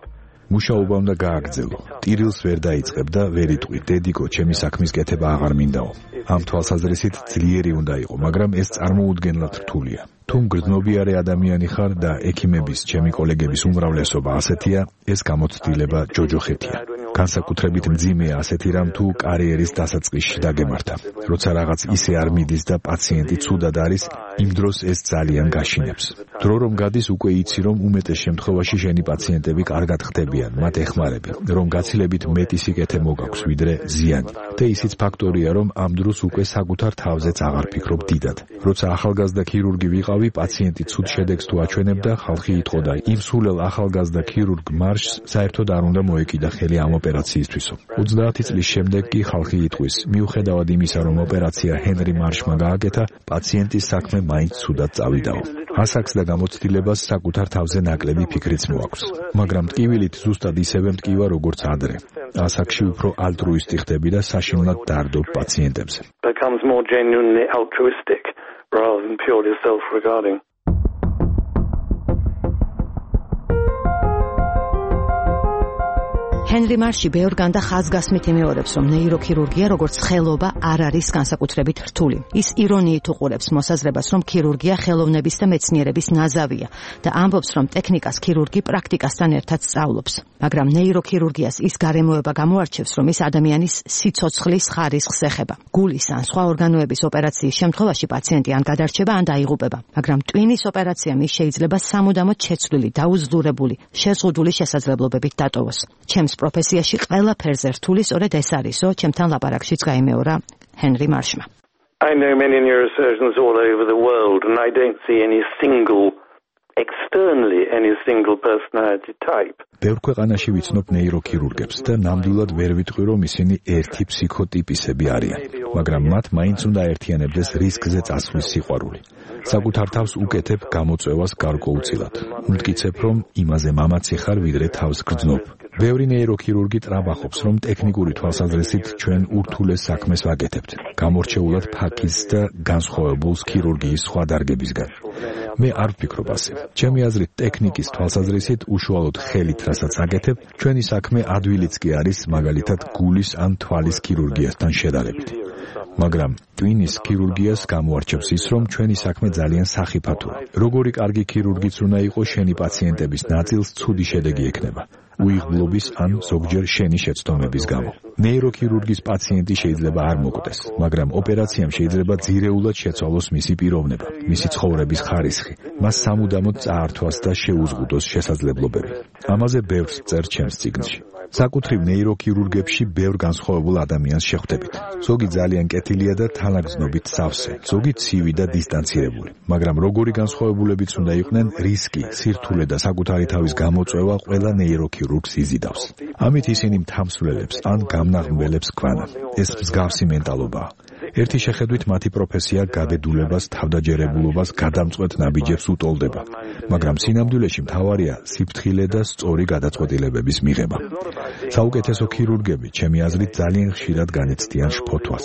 [SPEAKER 4] მუშაობა უნდა გააგრძელო. ტირილს ვერ დაიწყებ და ვერ იტყვი, დედიკო, ჩემი საქმის კეთება აღარ მინდაო. ამ თვალსაზრისით ძლიერი უნდა იყო, მაგრამ ეს წარმოუდგენლად რთულია. თუ მგრძნობიარე ადამიანი ხარ და ექიმების, ჩემი კოლეგების უმრავლესობა ასეთია, ეს გამოცდილება ჯოჯოხეთია. განსაკუთრებით მძიმეა ასეთი რამ თუ კარიერის დასაწყისში დაგემართა. როცა რაღაც ისე არ მიდის და პაციენტი ცუდად არის, იმ დროს ეს ძალიან გაშინებს. დრო რომ გადის, უკვე იცი, რომ უმეტეს შემთხვევაში შენი პაციენტები კარგად ხდებიან, მათ ეხმარები, რომ გაცილებით მეტი სიკეთე მოგაქვს, ვიდრე ზიანი. და ისიც ფაქტორია, რომ ამ დროს უკვე საკუთარ თავზეც აღარ ფიქრობ დიდად. როცა ახალგაზრდა ქირურგი ვიყავი, პაციენტი ცუდ შედეგს თუ აჩვენებდა, ხალხი იტყოდა, იმ სულელ ახალგაზრდა ქირურგ მარშს საერთოდ არ უნდა მოეკიდა ხელი ამ ოპერაციისთვისო. ოცდაათი წლის შემდეგ კი ხალხი იტყვის, მიუხედავად იმისა, რომ ოპერაცია ჰენრი მარშმა გააკეთა, პაციენტის საქმე მაინც ცუდად წავიდაო. ასაკს და გამოცდილებას საკუთარ თავზე ნაკლები ფიქრიც მოაქვს. მაგრამ ტკივილით ზუსტად ისევე მტკივა, როგორც ადრე. ასაკში უფრო ალტრუისტი ხდები და საშინლად დარდობ პაციენტებზე.
[SPEAKER 6] Becomes more genuinely altruistic rather than purely self-regarding.
[SPEAKER 2] ჰენრი მარში ბევრგან და ხაზგასმით იმეორებს, რომ ნეიროქირურგია როგორც ხელობა არ არის განსაკუთრებით რთული. ის ირონიით უყურებს მოსაზრებას, რომ ქირურგია ხელოვნების და მეცნიერების ნაზავია და ამბობს, რომ ტექნიკას ქირურგი პრაქტიკასთან ერთად სწავლობს. მაგრამ ნეიროქირურგიას ის გარემოება გამოარჩევს, რომ ის ადამიანის სიცოცხლის ხარისხს ეხება. გულის ან სხვა ორგანოების ოპერაციის შემთხვევაში პაციენტი ან გადარჩება, ან დაიღუპება. მაგრამ ტვინის ოპერაცია მის შეიძლება სამუდამოდ შეცვლილი, დაუძლურებული, შეზღუდული შესაძლებლობებით დატოვოს. ჩემს პროფესიაში ყველაფერზე რთული სწორედ ეს არისო, ჩემთან ლაპარაკშიც გაიმეორა ჰენრი მარშმა.
[SPEAKER 6] I know many neurosurgeons all over the world and I don't see any single externally any single personality type.
[SPEAKER 4] ბევრ ქვეყანაში ვიცნობ ნეიროქირურგებს და ნამდვილად ვერ ვიტყვი, რომ ისინი ერთი ფსიქოტიპისები არიან, მაგრამ მათ მაინც უნდა აერთიანებდეს რისკზე წასვლის სიყვარული. საკუთარ თავს უკეთებ გამოწვევას გარკვეულწილად. უმტკიცებ, რომ იმაზე მამაცი ხარ, ვიდრე თავს გრძნობ. ბევრი ნეიროქირურგი ტრაბახობს, რომ ტექნიკური თვალსაზრისით ჩვენ ურთულეს საქმეს ვაკეთებთ, გამორჩეულად ფაქის და განსხვავებულს ქირურგიის სხვა დარგებისგან. მე არ ვფიქრობ ასე. ჩემი აზრით, ტექნიკის თვალსაზრისით უშუალოდ ხელით რასაც აკეთებ, ჩვენი საქმე ადვილიც კი არის, მაგალითად გულის ან თვალის ქირურგიასთან შედარებით. მაგრამ ტვინის ქირურგიას გამოარჩევს ის, რომ ჩვენი საქმე ძალიან სახიფათოა. როგორი კარგი ქირურგიც უნდა იყოს, შენი პაციენტების ნაწილს ცუდი შედეგი ექნება. უიღბლობის ან ზოგჯერ შენი შეცდომების გამო. ნეიროქირურგის პაციენტი შეიძლება არ მოკვდეს, მაგრამ ოპერაციამ შეიძლება ძირეულად შეცვალოს მისი პიროვნება, მისი ცხოვრების ხარისხი, მას სამუდამოდ წაართვას და შეუზღუდოს შესაძლებლობები. ამაზე ბევრს წერს ჩემს წიგნში. საკუთრივ ნეიროქირურგებში ბევრ განსხვავებულ ადამიანს შეხვდებით. ზოგი ძალიან კეთილია და თანაგრძნობით სავსე, ზოგი ცივი და დისტანცირებული. მაგრამ როგორი განსხვავებულებიც უნდა იყვნენ, რისკი, სირთულე და საკუთარი თავის გამოწვევა ყველა ნეიროქირურგს იზიდავს. ამით ისინი მთამსვლელებს ან გამნაღმველებს გვანან. ეს მსგავსი მენტალობაა. ერთი შეხედვით მათი პროფესია გაბედულებას, თავდაჯერებულობას, გადამწყვეტ ნაბიჯებს უტოლდება, მაგრამ სინამდვილეში მთავარია სიფრთხილე და სწორი გადაწყვეტილებების მიღება. საუკეთესო ქირურგები, ჩემი აზრით, ძალიან ხშირად განიცდიან შფოთვას.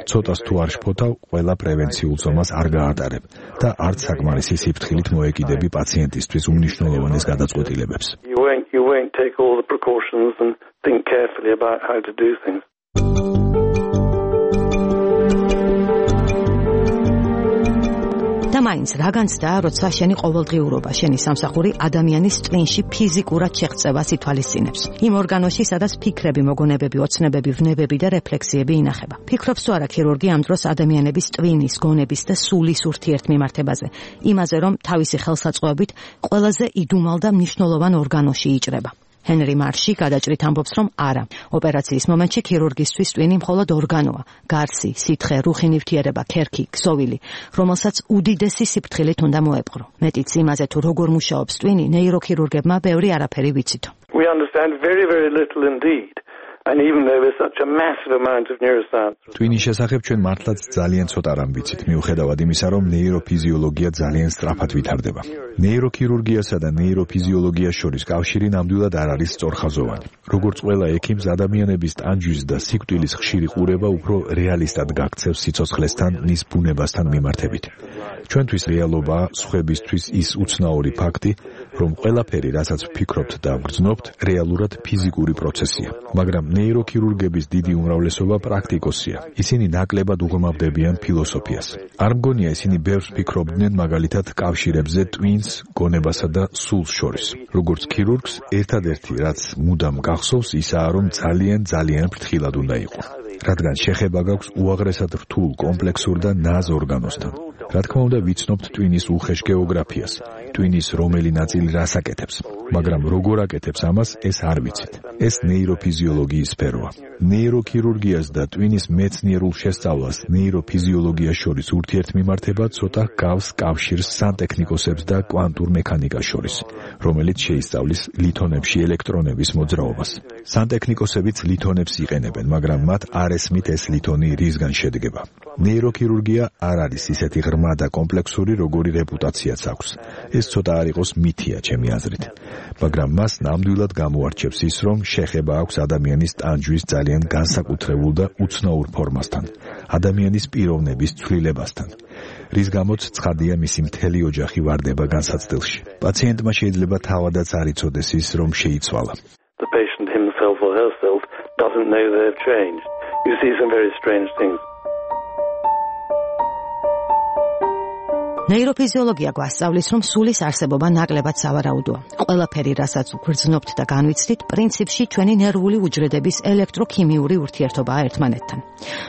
[SPEAKER 4] ცოტას თუ არ შფოთავ, ყველა პრევენციულ ზომას არ გაატარებ და არც საკმარისი სიფრთხილით მოეკიდები პაციენტისთვის უმნიშვნელოვანეს გადაწყვეტილებებს.
[SPEAKER 6] You won't, you won't take all the precautions and think carefully about how to do things.
[SPEAKER 2] და მაინც რა განცდა, როცა შენი ყოველდღიურობა, შენი სამსახური ადამიანის ტვინში ფიზიკურად შეღწევას ითვალისწინებს. იმ ორგანოში, სადაც ფიქრები, მოგონებები, ოცნებები, ვნებები და რეფლექსიები ინახება. ფიქრობს თუ არა ქირურგი ამ დროს ადამიანების ტვინის, გონების და სულის ურთიერთმიმართებაზე, იმაზე, რომ თავისი ხელსაწყოებით ყველაზე იდუმალ და მნიშვნელოვან ორგანოში იჭრება. ჰენრი მარში გადაჭრით ამბობს, რომ არა. ოპერაციის მომენტში ქირურგისთვის ტვინი მხოლოდ ორგანოა, გარსი, სითხე, რუხი ნივთიერება, ქერქი, ქსოვილი, რომელსაც უდიდესი სიფრთხილით უნდა მოეპყრო. მეტიც იმაზე თუ როგორ მუშაობს ტვინი, ნეიროქირურგებმა ბევრი არაფერი ვიცითო.
[SPEAKER 6] We understand very, very little indeed. And even though there's such a massive amount of neuroscience.
[SPEAKER 4] ტვინის შესახებ ჩვენ მართლაც ძალიან ცოტა რამ ვიცით, მიუხედავად იმისა, რომ ნეიროფიზიოლოგია ძალიან სწრაფად ვითარდება. ნეიროქირურგიასა და ნეიროფიზიოლოგიას შორის კავშირი ნამდვილად არ არის სწორხაზოვანი. როგორც ყველა ექიმს, ადამიანების ტანჯვის და სიკვდილის ხშირი ყურება უფრო რეალისტად გაქცევს სიცოცხლესთან, მის ბუნებასთან მიმართებით. ჩვენთვის რეალობაა სხვებისთვის ის უცნაური ფაქტი, რომ ყველაფერი, რასაც ვფიქრობთ და ვგრძნობთ, რეალურად ფიზიკური პროცესია. მაგრამ ნეიროქირურგების დიდი უმრავლესობა პრაქტიკოსია. ისინი ნაკლებად უღმავდებიან ფილოსოფიას. არ მგონია ისინი ბევრს ფიქრობდნენ მაგალითად კავშირებზე ტვინს, გონებასა და სულს შორის. როგორც ქირურგს, ერთადერთი, რაც მუდამ გახსოვს, ისაა, რომ ძალიან ძალიან ფრთხილად უნდა იყოს. რადგან შეხება გაქვს უაღრესად რთულ, კომპლექსურ და ნაზ ორგანოსთან. რა თქმა უნდა, ვიცნობთ ტვინის უხეშ გეოგრაფიას, ტვინის რომელი ნაწილი რას აკეთებს, მაგრამ როგორ აკეთებს ამას, ეს არ ვიცით. ეს ნეიროფიზიოლოგიის სფეროა. ნეიროქირურგიას და ტვინის მეცნიერულ შესწავლას ნეიროფიზიოლოგიას შორის ურთიერთმიმართება ცოტა გავს კავშირს სანტექნიკოსებს და კვანტურ მექანიკას შორის, რომელიც შეისწავლის ლითონებში ელექტრონების მოძრაობას. სანტექნიკოსებიც ლითონებს იყენებენ, მაგრამ მათ არ ესმით ეს ლითონი რისგან შედგება. ნეიროქირურგია არ არის ისეთი ღრმა და კომპლექსური, როგორი რეპუტაციაც აქვს. ეს ცოტა არ იყოს მითია ჩემი აზრით, მაგრამ მას ნამდვილად გამოარჩევს ის, რომ შეხება აქვს ადამიანის ტანჯვის ძალიან განსაკუთრებულ და უცნაურ ფორმასთან, ადამიანის პიროვნების ცვლილებასთან, რის გამოც ცხადია მისი მთელი ოჯახი ვარდება განსაცდელში. პაციენტმა შეიძლება თავადაც არ იცოდეს ის, რომ შეიცვალა.
[SPEAKER 6] The patient himself or herself doesn't know they've changed. You see some very strange things.
[SPEAKER 2] ნეიროფიზიოლოგია გვასწავლის, რომ სულის არსებობა ნაკლებად სავარაუდოა. ყველაფერი, რასაც გვგრძნობთ და განვიცდით, პრინციპში ჩვენი ნერვული უჯრედების ელექტროქიმიური ურთიერთობაა ერთმანეთთან.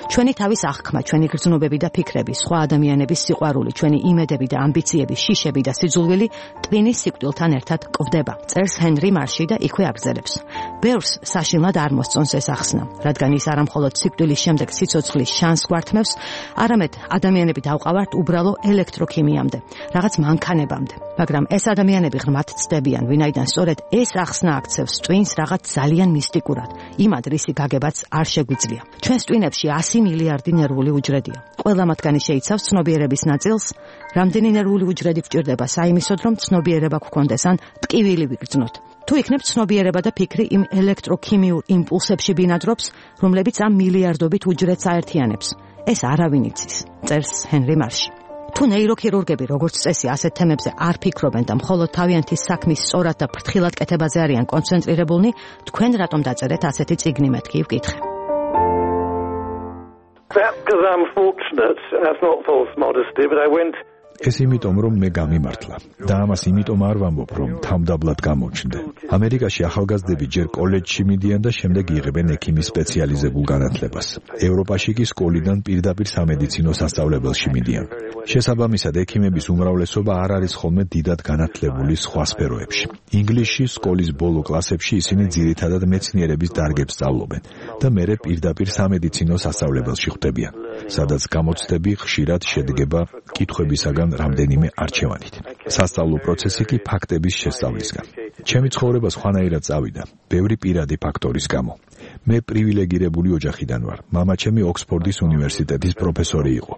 [SPEAKER 2] ჩვენი თავის აღქმა, ჩვენი გრძნობები და ფიქრები, სხვა ადამიანების სიყვარული, ჩვენი იმედები და ამბიციები, შიშები და სიძულვილი ტვინის სიკვდილთან ერთად კვდება. წერს ჰენრი მარში და იქვე აგრძელებს. ბევრს საშინლად არ მოსწონს ეს ახსნა, რადგან ის არა მხოლოდ სიკვდილის შემდეგ სიცოცხლის შანსს გვართმევს, არამედ ადამიანები დავყავართ უბრალო ელექტროქიმიამდე, რაღაც მანქანებამდე. მაგრამ ეს ადამიანები ღრმად ცდებიან, ვინაიდან სწორედ ეს ახსნა აქცევს ტვინს რაღაც ძალიან მისტიკურად, იმ ადრისი გაგებაც არ შეგვიძლია. ჩვენს ტვინებში ასი მილიარდი ნერვული უჯრედია. ყველა მათგანი შეიცავს ცნობიერების ნაწილს, რამდენი ნერვული უჯრედი გვჭირდება საიმისოდ, რომ ცნობიერება გვქონდეს ან ტკივილი ვიგრძნოთ. თუ იქნებ ცნობიერება და ფიქრი იმ ელექტროქიმიურ იმპულსებში ბინადრობს, რომლებიც ამ მილიარდობით უჯრედს აერთიანებს. ეს არავინ იცის, წერს ჰენრი მარში. თუ ნეიროქირურგები როგორც წესი ასეთ თემებზე არ ფიქრობენ და მხოლოდ თავიანთი საქმის სწორად და ფრთხილად კეთებაზე არიან კონცენტრირებულნი, თქვენ რატომ დაწერეთ ასეთი წიგნი, მეთქი ვკითხე.
[SPEAKER 6] Perhaps because I'm fortunate, that's not false modesty, but I went
[SPEAKER 4] ეს იმიტომ, რომ მე გამიმართლა და ამას იმიტომ არ ვამბობ, რომ თავდაბლად გამოვჩნდე. ამერიკაში ახალგაზრდები ჯერ კოლეჯში მიდიან და შემდეგ იღებენ ექიმის სპეციალიზებულ განათლებას. ევროპაში კი სკოლიდან პირდაპირ სამედიცინო სასწავლებელში მიდიან. შესაბამისად, ექიმების უმრავლესობა არ არის ხოლმე დიდად განათლებული სხვა სფეროებში. ინგლისში სკოლის ბოლო კლასებში ისინი ძირითადად მეცნიერების დარგებს სწავლობენ და მერე პირდაპირ სამედიცინო სასწავლებელში ხვდებიან, სადაც გამოცდები ხშირად შედგება კითხვებისაგან რამდენიმე არჩევანით. სასწავლო პროცესი კი ფაქტების შესწავლისგან. ჩემი ცხოვრება სხვანაირად წავიდა, ბევრი პირადი ფაქტორის გამო. მე პრივილეგირებული ოჯახიდან ვარ. მამაჩემი ოქსფორდის უნივერსიტეტის პროფესორი იყო.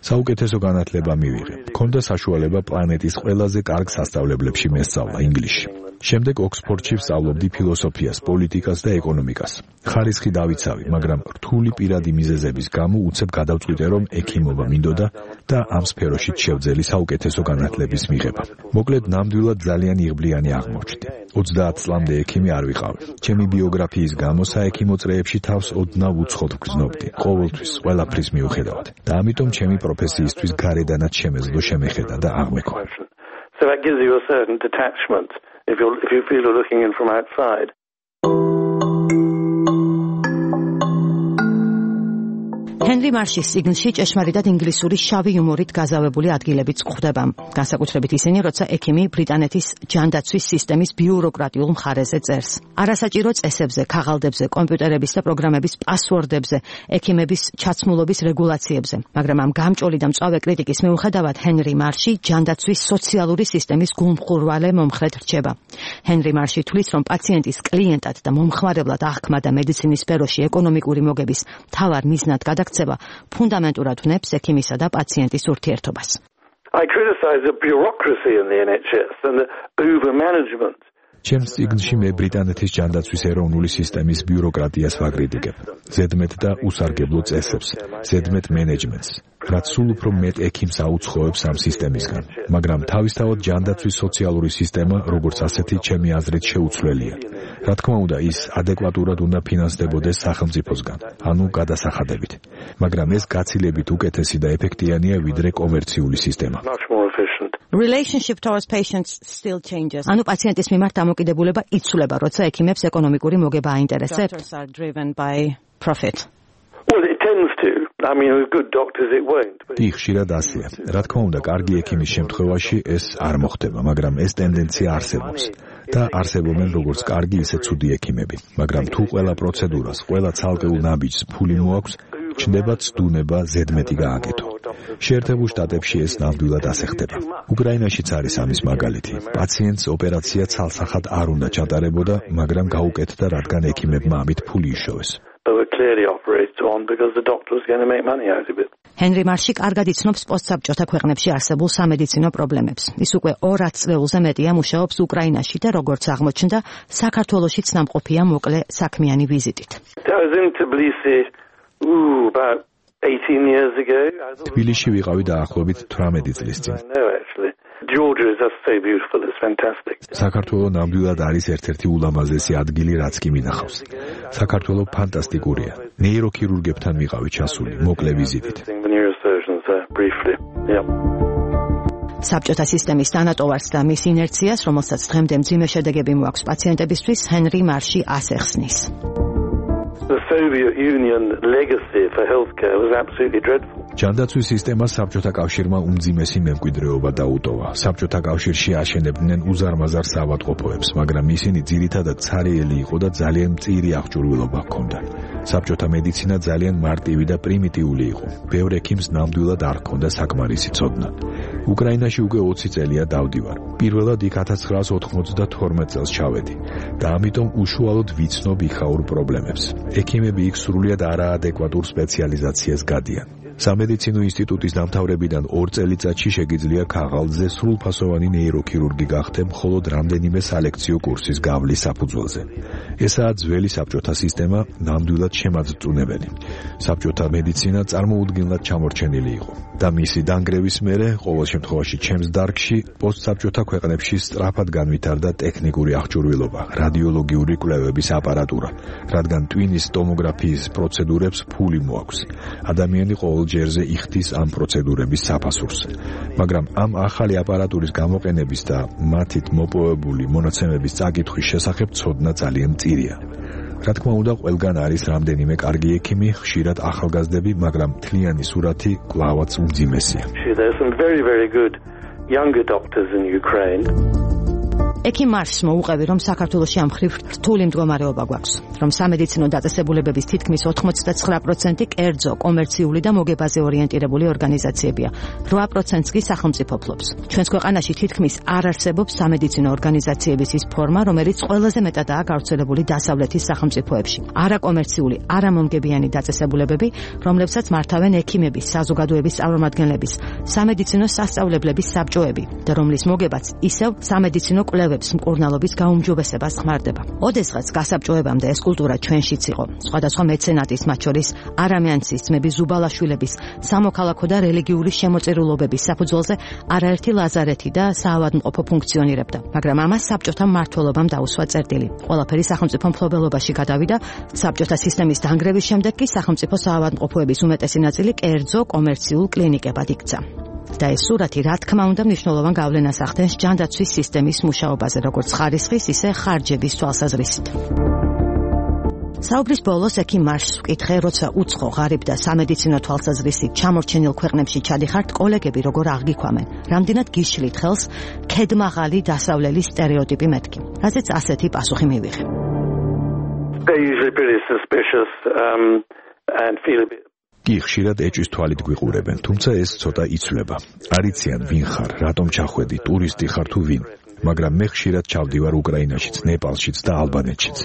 [SPEAKER 4] საუკეთესო განათლება მივიღე. მქონდა საშუალება პლანეტის ყველაზე კარგ სასწავლებლებში მესწავლა ინგლისში. შემდეგ ოქსფორდში ვსწავლობდი ფილოსოფიას, პოლიტიკას და ეკონომიკას. ხარისხი დავიცავი, მაგრამ რთული პირადი მიზეზების გამო უცებ გადავწყვიტე, რომ ექიმობა მინდოდა და ამ სფეროშიც შევძელი საუკეთესო განათლების მიღება. მოკლედ, ნამდვილად ძალიან იღბლიანი აღმოჩნდი. ოცდაათ წლამდე ექიმი არ ვიყავი. ჩემი ბიოგრაფიის გამო საექიმო წრეებში თავს ოდნავ უცხოდ ვგრძნობდი, ყოველთვის ყველაფრის მიუხედავად. და ამიტომ ჩემი პროფესიისთვის გარედანაც შემეძლო შემეხედა და აღმექვა.
[SPEAKER 6] So that gives you a certain detachment if you if you feel you're looking in from outside.
[SPEAKER 2] ჰენრი მარშის სიგნში ჭეშმარიტად ინგლისური შავი იუმორით გაზავებული ადგილებიც გვხვდება. განსაკუთრებით ისინი, როცა ექიმი ბრიტანეთის ჯანდაცვის სისტემის ბიუროკრატიულ მხარეზე წერს. არასაჭირო წესებზე, ქაღალდებზე, კომპიუტერების და პროგრამების პასვორდებზე, ექიმების ჩაცმულობის რეგულაციებზე. მაგრამ ამ გამჭოლი და მწვავე კრიტიკის მიუხედავად, ჰენრი მარში ჯანდაცვის სოციალური სისტემის გულმხურვალე მომხრედ რჩება. ჰენრი მარში თვლის, რომ პაციენტის კლიენტად და მომხმარებლად აღქმა და მედიცინის სფეროში ეკონომიკური მოგების მთავარ მიზნად გადაქცევა ფუნდამენტურად ვნებს ექიმისა და პაციენტის ურთიერთობას.
[SPEAKER 6] I criticize the bureaucracy in the N H S and the over-management.
[SPEAKER 4] ჩემს წიგნში მე ბრიტანეთის ჯანდაცვის ეროვნული სისტემის ბიუროკრატიას ვაკრიტიკებ. ზედმეტ და უსარგებლო წესებს, ზედმეტ მენეჯმენტს, რაც სულ უფრო მეტ ექიმს აუცხოებს ამ სისტემისგან. მაგრამ თავისთავად ჯანდაცვის სოციალური სისტემა, როგორც ასეთი, ჩემი აზრით შეუცვლელია. რა თქმა უნდა, ის ადეკვატურად უნდა ფინანსდებოდეს სახელმწიფოსგან, ანუ გადასახადებით. მაგრამ ეს გაცილებით უკეთესი და ეფექტიანია ვიდრე კომერციული სისტემა.
[SPEAKER 2] Relationship towards patients still changes. ანუ პაციენტის მიმართ დამოკიდებულება იცვლება, როცა ექიმებს ეკონომიკური მოგება აინტერესებს. Doctors are driven by profit.
[SPEAKER 6] Well, it tends to. I mean, with good doctors it won't.
[SPEAKER 4] კი, ხშირად ასეა. რა თქმა უნდა, კარგი ექიმის შემთხვევაში ეს არ მოხდება, მაგრამ ეს ტენდენცია არსებობს. და არსებობენ როგორც კარგი, ისე ცუდი ექიმები. მაგრამ თუ ყველა პროცედურას, ყველა ცალკეულ ნაბიჯს ფული მოაქვს, ჩნდება ცდუნება ზედმეტი გააკეთო. შეერთებულ შტატებში ეს ნამდვილად ასე ხდება. უკრაინაშიც არის ამის მაგალითი. პაციენტს ოპერაცია ცალსახად არ უნდა ჩატარებოდა, მაგრამ გაუკეთდა, რადგან ექიმებმა ამით ფული იშოვეს.
[SPEAKER 2] ჰენრი მარში კარგად იცნობს პოსტსაბჭოთა ქვეყნებში არსებულ სამედიცინო პრობლემებს. ის უკვე ორ ათწლეულზე მეტია მუშაობს უკრაინაში და როგორც აღმოჩნდა, საქართველოშიც ნამყოფია მოკლე საქმიანი ვიზიტით.
[SPEAKER 4] თბილისში ვიყავი დაახლოებით თვრამეტი წლის წინ.
[SPEAKER 6] Georgia is just so beautiful, it's fantastic.
[SPEAKER 4] საქართველო ნამდვილად არის ერთ-ერთი ულამაზესი ადგილი, რაც კი მინახავს. საქართველო ფანტასტიკურია. ნეიროქირურგებთან ვიყავი ჩასული, მოკლე ვიზიტით.
[SPEAKER 2] საბჭოთა სისტემის თანატოვარს და მის ინერციას, რომელსაც დღემდე მძიმე შედეგები მოაქვს პაციენტებისთვის, ჰენრი მარში ასეხსნის.
[SPEAKER 6] The Soviet Union legacy for healthcare was absolutely dreadful.
[SPEAKER 4] ჯანდაცვის სისტემა საბჭოთა კავშირმა უმძიმესი მემკვიდრეობა დაუტოვა. საბჭოთა კავშირში აშენებდნენ უზარმაზარ საავადმყოფოებს, მაგრამ ისინი ძირითადად ცარიელი იყო და ძალიან მწირი აღჭურვილობა ჰქონდა. საბჭოთა მედიცინა ძალიან მარტივი და პრიმიტიული იყო. ბევრ ექიმს ნამდვილად არ ჰქონდა საკმარისი ცოდნა. უკრაინაში უკვე ოცი წელია დავდივარ. პირველად იქ ათას ცხრაას ოთხმოცდათორმეტ წელს ჩავედი და ამიტომ უშუალოდ ვიცნობ იქაურ პრობლემებს. ექიმები იქ სრულიად არაადეკვატურ სპეციალიზაციას გადიან. სამედიცინო ინსტიტუტის დამთავრებიდან ორ წელიწადში შეგიძლია ქაღალდზე სრულფასოვანი ნეიროქირურგი გახდე მხოლოდ რამდენიმე სალექციო კურსის გავლის საფუძველზე. ესაა ძველი საბჭოთა სისტემა, ნამდვილად შემაძწუნებელი. საბჭოთა მედიცინა წარმოუდგენლად ჩამორჩენილი იყო და მისი დანგრევის მერე, ყოველ შემთხვევაში ჩემს დარგში, პოსტსაბჭოთა ქვეყნებში სწრაფად განვითარდა ტექნიკური აღჭურვილობა, რადიოლოგიური კვლევების აპარატურა, რადგან ტვინის ტომოგრაფიის პროცედურებს ფული მოაქვს. ადამიანი ყოველ ჯერზე იხდის ამ პროცედურების საფასურს. მაგრამ ამ ახალი აპარატურის გამოყენების და მათით მოპოვებული მონაცემების წაკითხვის შესახებ ცოდნა ძალიან მწირია. რა თქმა უნდა, ყველგან არის რამდენიმე კარგი ექიმი, ხშირად ახალგაზრდები, მაგრამ მთლიანი სურათი კვლავაც უმძიმესია.
[SPEAKER 6] There are some very, very good younger doctors in Ukraine.
[SPEAKER 2] ექიმ მარშს მოუყევი, რომ საქართველოში ამ ხრივ რთული მდგომარეობა გვაქვს, რომ სამედიცინო დაწესებულებების თითქმის ოცდათხმეტ პროცენტი კერძო, კომერციული და მოგებაზე ორიენტირებული ორგანიზაციებია. რვა პროცენტს კი სახელმწიფო ფლობს. ჩვენს ქვეყანაში თითქმის არ არსებობს სამედიცინო ორგანიზაციების ის ფორმა, რომელიც ყველაზე მეტადაა გავრცელებული დასავლეთის სახელმწიფოებში. არაკომერციული, არამომგებიანი დაწესებულებები, რომლებსაც მართავენ ექიმების, საზოგადოების წარმომადგენლების, სამედიცინო სასწავლებლების საბჭოები და რომლის მოგებაც ისევ სამედიცინო კვლევების მკურნალობის გაუმჯობესებას ხმარდება. ოდესღაც გასაბჭოებამდე ეს კულტურა ჩვენშიც იყო. სხვადასხვა მეცენატის, მათ შორის არამიანცის, ძმების ზუბალაშვილების, სამოქალაქო და რელიგიური შემოწირულობების საფუძველზე არაერთი ლაზარეთი და საავადმყოფო ფუნქციონირებდა, მაგრამ ამას საბჭოთა მმართველობამ დაუსვა წერტილი. ყველაფერი სახელმწიფო მფლობელობაში გადავიდა. საბჭოთა სისტემის დანგრევის შემდეგ კი სახელმწიფო საავადმყოფოების უმეტესი ნაწილი კერძო კომერციულ კლინიკებად იქცა. და ეს სურათი, რა თქმა უნდა, მნიშვნელოვან გავლენას ახდენს ჯანდაცვის სისტემის მუშაობაზე, როგორც ხარისხის, ისე ხარჯების თვალსაზრისით. საუბრის ბოლოს ექიმ მარშს ვკითხე, როცა უცხო, ღარიბ და სამედიცინო თვალსაზრისით ჩამორჩენილ ქვეყნებში ჩადიხართ, კოლეგები როგორ აღგიქვამენ, რამდენად გიშლით ხელს ქედმაღალი დასავლელი სტერეოტიპი მეთქი, რაზეც ასეთი პასუხი მივიღე.
[SPEAKER 6] They're usually pretty suspicious um, and feel a bit
[SPEAKER 4] კი ხშირად ეჭვის თვალით გვიყურებენ, თუმცა ეს ცოტა იცვლება. არიციან ვინ ხარ, რატომ ჩახვედი, ტურისტი ხარ თუ ვინ, მაგრამ მე ხშირად ჩავდივარ უკრაინაშიც, ნეპალშიც და ალბანეთშიც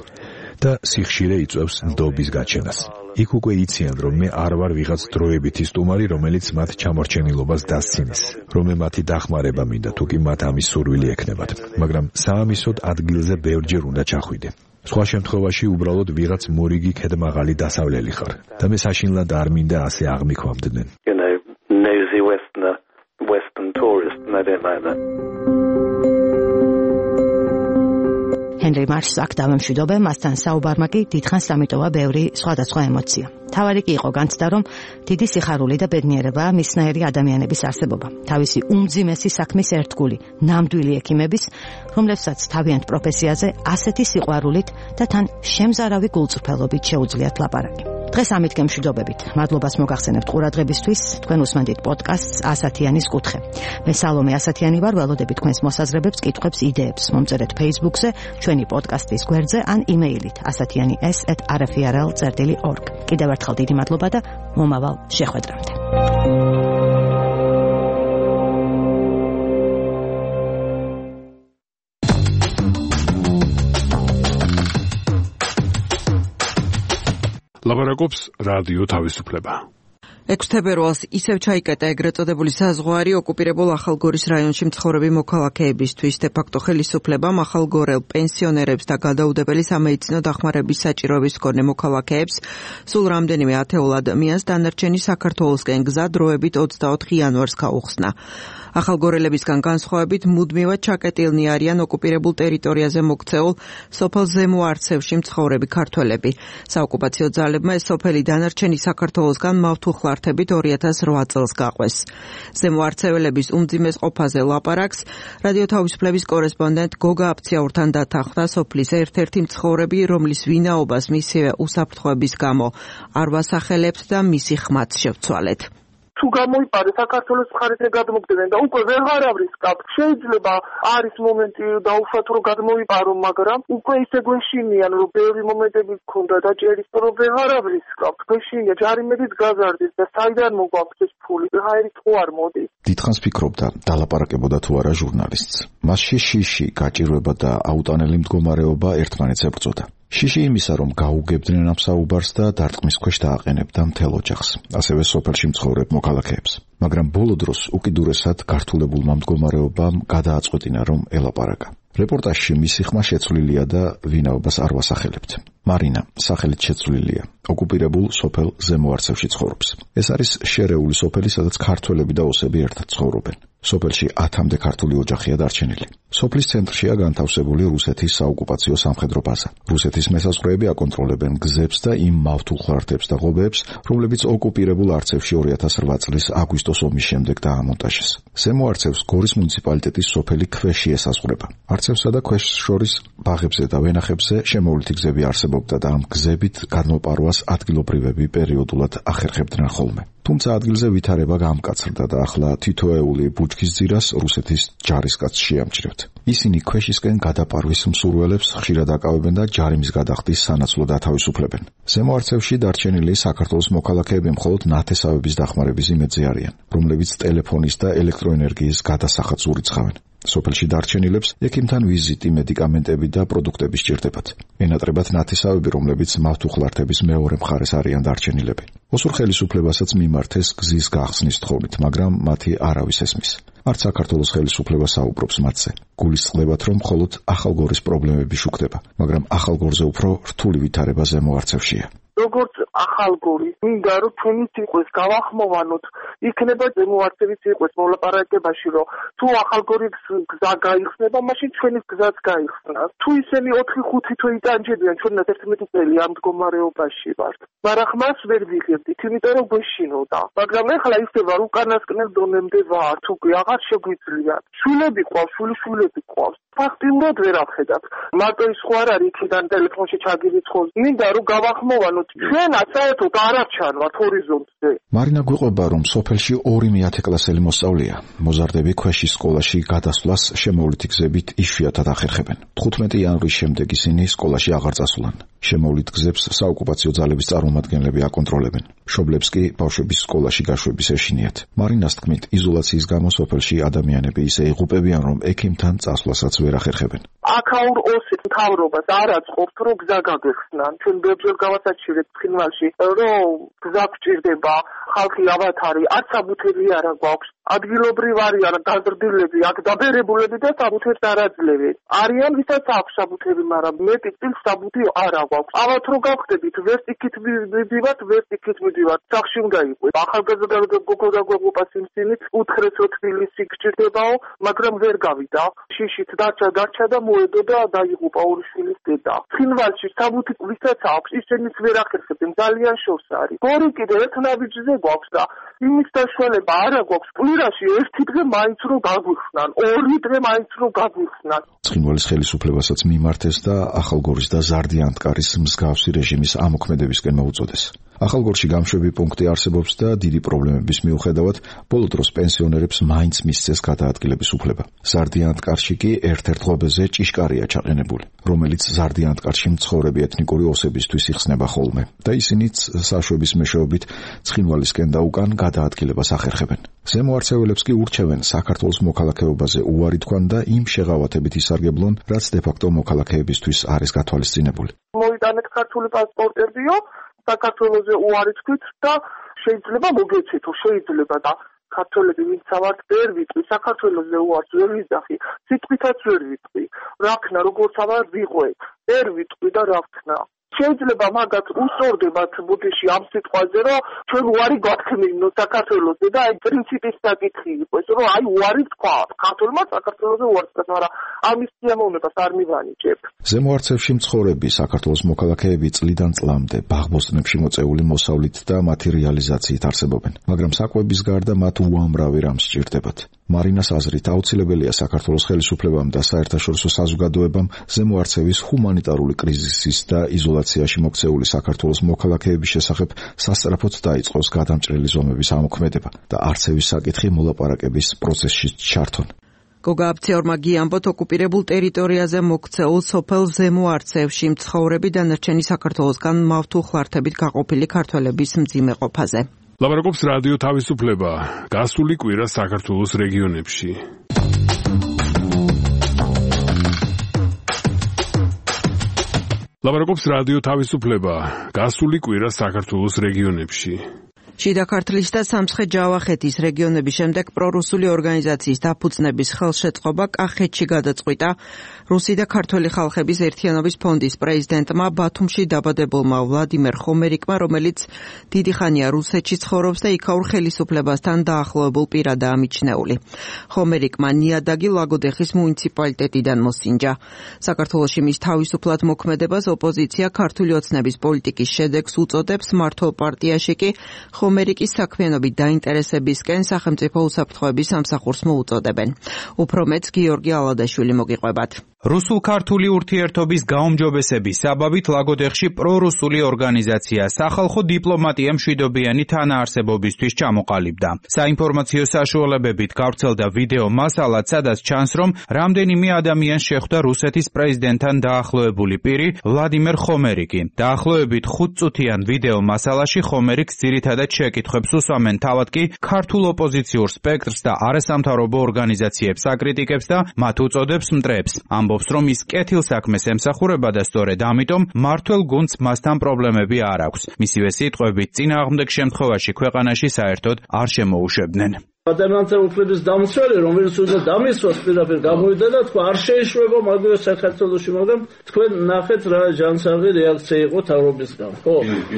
[SPEAKER 4] და სიხშირე იწვევს ნდობის გაჩენას. იქ უკვე იციან, რომ მე არ ვარ ვიღაც დროებითი სტუმარი, რომელიც მათ ჩამორჩენილობას დასცინის, რომ მე მათი დახმარება მინდა, თუ კი მათ ამის სურვილი ექნებათ, მაგრამ საამისოდ ადგილზე ბევრჯერ უნდა ჩახვიდე. სხვა შემთხვევაში უბრალოდ ვიღაც მორიგი ქედმაღალი დასავლელი ხარ და მე საშინლად არ მინდა ასე აღმიქვამდნენ.
[SPEAKER 6] You know, nosy Westerner, Western tourist, and I don't like that.
[SPEAKER 2] ჰენრი მარშს აქ დავემშვიდობე, მასთან საუბარმა კი დიდხანს დამიტოვა ბევრი სხვადასხვა ემოცია. თავარი კი იყო განცდა, რომ დიდი სიხარული და ბედნიერებაა მისნაირი ადამიანების არსებობა. თავისი უმძიმესი საქმის ერთგული, ნამდვილი ექიმების, რომლებსაც თავიანთ პროფესიაზე ასეთი სიყვარულით და თან შემზარავი გულწრფელობით შეუძლიათ ლაპარაკი. დღეს ამით გემშვიდობებით. მადლობას მოგახსენებთ ყურადღებისთვის. თქვენ უსმენთ პოდკასტს ასათიანის კუთხე. მე სალომე ასათიანი ვარ, ველოდები თქვენს მოსაზრებებს, კითხვებს, იდეებს. მომწერეთ Facebook-ზე, ჩვენი პოდკასტის გვერდზე ან იმეილით ასათიანი ეს ეტ არ ეფ ი არ ელ წერტილი ორგ. კიდევ ერთხელ დიდი მადლობა და მომავალ შეხვედრამდე.
[SPEAKER 1] ლაპარაკობს რადიო თავისუფლება.
[SPEAKER 7] ექვსი თებერვალს ისევ ჩაიკეტა ეგრეთ წოდებული საზღვარი ოკუპირებულ ახალგორის რაიონში მცხოვრები მოქალაქეებისთვის. დე ფაქტო ხელისუფლებამ ახალგორელ პენსიონერებს და გადაუდებელი სამედიცინო დახმარების საჭიროების მქონე მოქალაქეებს სულ რამდენიმე ათეულ ადამიანს დანარჩენი საქართველოსკენ გზა დროებით ოცდაოთხი იანვარს გაუხსნა. ახალგორელებისგან განსხვავებით მუდმივად ჩაკეტილნი არიან ოკუპირებულ ტერიტორიაზე მოქცეულ სოფელ ზემო არცევში მცხოვრები ქართველები. საოკუპაციო ძალებმა ეს სოფელი დანარჩენი საქართველოსგან მავთუხლართებით ორი ათას რვა წელს გაყვეს. ზემო არცეველების უმძიმეს ყოფაზე ლაპარაკს რადიო თავისუფლების კორესპონდენტ გოგა აფციაურთან დათანხმდა სოფლის ერთ-ერთი მცხოვრები, რომლის ვინაობას მისივე უსაფრთხოების გამო არ ვასახელებთ და მისი ხმაც შევცვალეთ.
[SPEAKER 8] თუ გამოიპარე საქართველოს მხარეზე გადმოგდნენ და უკვე ვეღარ არის კապ. შეიძლება არის მომენტი დაუშვათ რომ გადმოიპარო, მაგრამ უკვე ისე გვეშინიან რომ ბევრი მომენტები გქონდა და ჭერის რომ ვეღარ არის კაპ. გვეშინია ჯარიმედით გაზარდის და საიდან მოგვაქვს ეს ფული? ვეღარით ხო არ მოდის.
[SPEAKER 9] დიდხანს ფიქრობდა დალაპარაკებოდა თუ არა ჟურნალისტს. მასში შიში, გაჭირვება და აუტანელი მდგომარეობა ერთმანეთს ებრძოდა. შიში იმისა, რომ გაუგებდნენ ამ საუბარს და დარტყმის ქვეშ დააყენებდა მთელ ოჯახს, ასევე სოფელში მცხოვრებ მოქალაქეებს. მაგრამ ბოლო დროს უკიდურესად გართულებულმა მდგომარეობამ გადააწყვეტინა, რომ ელაპარაკა. რეპორტაჟში მისი ხმა შეცვლილია და ვინაობას არ ვასახელებთ. მარინა სახელით შეცვლილია. ოკუპირებულ სოფელ ზემო არცევში ცხოვრობს. ეს არის შერეული სოფელი, სადაც ქართველები და ოსები ერთად ცხოვრობენ. სოფელში ათამდე ქართული ოჯახია დარჩენილი. სოფლის ცენტრშია განთავსებული რუსეთის საოკუპაციო სამხედრო ბაზა. რუსეთის მესაზღვრეები აკონტროლებენ გზებს და იმ მავთულხლართებს და ღობეებს, რომლებიც ოკუპირებულ არცევში ორი ათას რვა წლის აგვისტოს ომის შემდეგ დაამონტაჟეს. ზემო არცევს გორის მუნიციპალიტეტის სოფელი ქვეში ესაზღვრება. არცევსა და ქვეშს შორის ბაღებზე და ვენახებზე შემოვლითი გზები არსებობდა და ამ გზებით გადმოპარვას ადგილობრივები პერიოდულად ახერხებდნენ ხოლმე. თუმცა ადგილზე ვითარება გამკაცრდა და ახლა თითოეული ბუჩქის ძირას რუსეთის ჯარისკაცს შეამჩნევთ. ისინი ქვეშისკენ გადაპარვის მსურველებს ხშირად აკავებენ და ჯარიმის გადახდის სანაცვლოდ ათავისუფლებენ. ზემო არცევში დარჩენილი საქართველოს მოქალაქეები მხოლოდ ნათესავების დახმარების იმედზე არიან, რომლებიც ტელეფონის და ელექტროენერგიის გადასახადს ურიცხავენ. სოფელში დარჩენილებს ექიმთან ვიზიტი, მედიკამენტები და პროდუქტები სჭირდებათ. ენატრებათ ნათესავები, რომლებიც მავთულხლართების მეორე მხარეს არიან დარჩენილები. ოსურ ხელისუფლებასაც მიმართეს გზის გახსნის თხოვნით, მაგრამ მათი არავის ესმის. არც საქართველოს ხელისუფლება საუბრობს მათზე. გულისწყდებათ, რომ მხოლოდ ახალგორის პრობლემები შუქდება, მაგრამ ახალგორზე უფრო რთული ვითარება ზემო არცევშია.
[SPEAKER 8] როგორც ახალგორი, მინდა რომ ჩვენით იყოს გავახმოვანოთ, იქნება ზემო არცევის იყოს მოლაპარაკებაში, რომ თუ ახალგორის გზა გაიხსნება, მაშინ ჩვენის გზაც გაიხსნას. თუ ისინი ოთხი ხუთი თვე იტანჯებიან, ჩვენაც ერთმეტი წელი ამ მდგომარეობაში ვართ. მაგრამ ხმას ვერ ვიღებდით, იმიტომ რომ გვეშინოდა. მაგრამ ეხლა ისევა უკანასკნელ დონემდე ვართ, უკვე აღარ შეგვიძლიათ. შვილები ყავს, შვილიშვილები ყავს. ფაქტიურად ვერ ახედავთ. მარტო ის ხო არ არის იქიდან ტელეფონში ჩაგირიცხოს. მინდა რომ გავახმოვანოთ, ჩვენაც საერთოდ არ არჩანვართ ჰორიზონტზე.
[SPEAKER 9] მარინა გვიყვება, რომ სოფელში ორი მეათეკლასელი მოსწავლეა. მოზარდები ქვეშის სკოლაში გადასვლას შემოვლითი გზებით იშვიათად ახერხებენ. თხუთმეტი იანვრის შემდეგ ისინი სკოლაში აღარ წასულან. შემოვლით გზებს საოკუპაციო ძალების წარმომადგენლები აკონტროლებენ. მშობლებს კი ბავშვების სკოლაში გაშვების ეშინიათ. მარინას თქმით, იზოლაციის გამო სოფელში ადამიანები ისე იღუპებიან, რომ ექიმთან წასვლასაც ვერ ახერხებენ.
[SPEAKER 8] აქაურ ოსის მთავრობას არ აწყობთ, რომ გზა გაგეხსნან. ჩვენ ბევრჯერ გავასაჩივრეთ ცხინვალში, რომ გზა გჭირდება, ხალხი ავათარი, არც საბუთები არა გვაქვს. ადგილობრივ არიან გაზრდილები, აქ დაბერებულები და საბუთებს არ აძლევენ. არიან ვისაც აქვს საბუთები, მაგრამ მეტი წილს საბუთი არ აქვს. ავათ რო გავხდებით, ვერც იქით მივიდივართ, ვერც იქით მივიდივართ. სახში უნდა იყოს. ახალგაზრდა გოგო და გოგოპას იმსინით უთხრესო თბილისი გჭირდებაო, მაგრამ ვერ გავიდა. შიშით დარჩა, დარჩა და მოედო და დაიღუპა ორი შვილის დედა. ცხინვალში საბუთი ვისაც აქვს, ისინიც ვერ ახერხებენ, ძალიან შორს არის. გორი კიდე ერთ ნაბიჯზე გვაქვს და იმის დაშველება არა გვაქვს. კვირაში ერთი დღე მაინც რო გაგვიხსნან, ორი დღე მაინც რო გაგვიხსნან.
[SPEAKER 9] ცხინვალის ხელისუფლებასაც მიმართეს და ახალგორის და ზარდიანტკარის მსგავსი რეჟიმის ამოქმედებისკენ მოუწოდეს. ახალგორში გამშვები პუნქტი არსებობს და დიდი პრობლემების მიუხედავად ბოლო დროს პენსიონერებს მაინც მისცეს გადაადგილების უფლება. ზარდიანტკარში კი ერთ-ერთ ღობეზე ჭიშკარია ჩაყენებული, რომელიც ზარდიანტკარში მცხოვრები ეთნიკური ოსებისთვის იხსნება ხოლმე და ისინიც საშვების მეშვეობით ცხინვალისკენ და უკან გადაადგილებას ახერხებენ. ზემო არცეველებს კი ურჩევენ საქართველოს მოქალაქეობაზე უარი თქვან და იმ შეღავათებით ისარგებლონ, რაც დე-ფაქტო მოქალაქეებისთვის არის გათვალისწინებული.
[SPEAKER 8] მოიტანეთ ქართული პასპორტებიო, საქართველოზე უარი თქვით და შეიძლება მოგეცეთო, შეიძლება და ქართველები ვინც ავართ ვერ ვიტყვი, საქართველოზე უარს ვერ ვიზახი, სიტყვითაც ვერ ვიტყვი. რა ქნა, როგორც ავარ ვიყვე, ვერ ვიტყვი და რა ქნა. შეიძლება მაგათ უსწორდებათ ბუდეში ამ სიტყვაზე, რომ ჩვენ უარი გვაქმნინო საქართველოზე და აი პრინციპის საკითხი იყოს, რომ აი უარი თქვა ქართველმა საქართველოზე უარი თქვა, მაგრამ ამის სიამოვნებას არ მივანიჭებ.
[SPEAKER 9] ზემო არცევში მცხოვრები საქართველოს მოქალაქეები წლიდან წლამდე ბაღბოსტნებში მოწეული მოსავლით და მათი რეალიზაციით არსებობენ, მაგრამ საკვების გარდა მათ უამრავი რამ სჭირდებათ. მარინას აზრით აუცილებელია საქართველოს ხელისუფლებამ და საერთაშორისო საზოგადოებამ ზემო არცევის ჰუმანიტარული კრიზისის და იზოლაციაში მოქცეული საქართველოს მოქალაქეების შესახებ სასწრაფოდ დაიწყოს გადამჭრელი ზომების ამოქმედება და არცევის საკითხი მოლაპარაკების პროცესში ჩართონ.
[SPEAKER 7] გოგა აფციორმა გიამბოთ, ოკუპირებულ ტერიტორიაზე მოქცეულ სოფელ ზემო არცევში მცხოვრები დანარჩენი საქართველოსგან მავთულხლართებით გაყოფილი ქართველების მძიმე ყოფაზე.
[SPEAKER 1] ლაპარაკობს რადიო თავისუფლება. გასული კვირა საქართველოს რეგიონებში. ლაპარაკობს რადიო თავისუფლება. გასული კვირა საქართველოს რეგიონებში.
[SPEAKER 7] შიდა ქართლის და სამცხე-ჯავახეთის რეგიონების შემდეგ პრორუსული ორგანიზაციის დაფუძნების ხელშეწყობა კახეთში გადაწყვიტა. რუსი და ქართველი ხალხების ერთიანობის ფონდის პრეზიდენტმა ბათუმში დაბადებულმა ვლადიმერ ხომერიკმა, რომელიც დიდი ხანია რუსეთში ცხოვრობს და იქაურ ხელისუფლებასთან დაახლოებულ პირადაა მიჩნეული. ხომერიკმა ნიადაგი ლაგოდეხის მუნიციპალიტეტიდან მოსინჯა. საქართველოში მის თავისუფლად მოქმედებას ოპოზიცია ქართული ოცნების პოლიტიკის შედეგს უწოდებს, მმართველ პარტიაში კი ხომერიკის საქმიანობით დაინტერესებისკენ სახელმწიფო უსაფრთხოების სამსახურს მოუწოდებენ. უფრო მეც გიორგი ალადაშვილი მოგიყვებათ.
[SPEAKER 10] რუსულ-ქართული ურთიერთობის გაუმჯობესების საბაბით ლაგოდეხში პრორუსული ორგანიზაცია სახალხო დიპლომატია მშვიდობიანი თანაარსებობისთვის ჩამოყალიბდა. საინფორმაციო საშუალებებით გავრცელდა ვიდეო მასალაც, სადაც ჩანს, რომ რამდენიმე ადამიანს შეხვდა რუსეთის პრეზიდენტთან დაახლოებული პირი ვლადიმერ ხომერიკი. დაახლოებით ხუთწუთიან ვიდეო მასალაში ხომერიკს ძირითადად შეკითხვებს უსვამენ, თავად კი ქართულ ოპოზიციურ სპექტრს და არასამთავრობო ორგანიზაციებს აკრიტიკებს და მათ უწოდებს მტრებს. ამბობს, რომ ის კეთილსაქმეს ემსახურება და სწორედ ამიტომ მმართველ გუნდს მასთან პრობლემები არ აქვს. მისივე სიტყვებით, წინააღმდეგ შემთხვევაში ქვეყანაში საერთოდ არ შემოუშვებდნენ.
[SPEAKER 3] ადამიანთა უფლების დამცველი, რომელიც უნდა დამისვას პირდაპირ გამოვიდა და თქვა არ შეიშვება მაგალითად საქართველოში, მაგრამ თქვენ ნახეთ რა ჯანსაღი რეაქცია იყო თავრობისგან. ხო,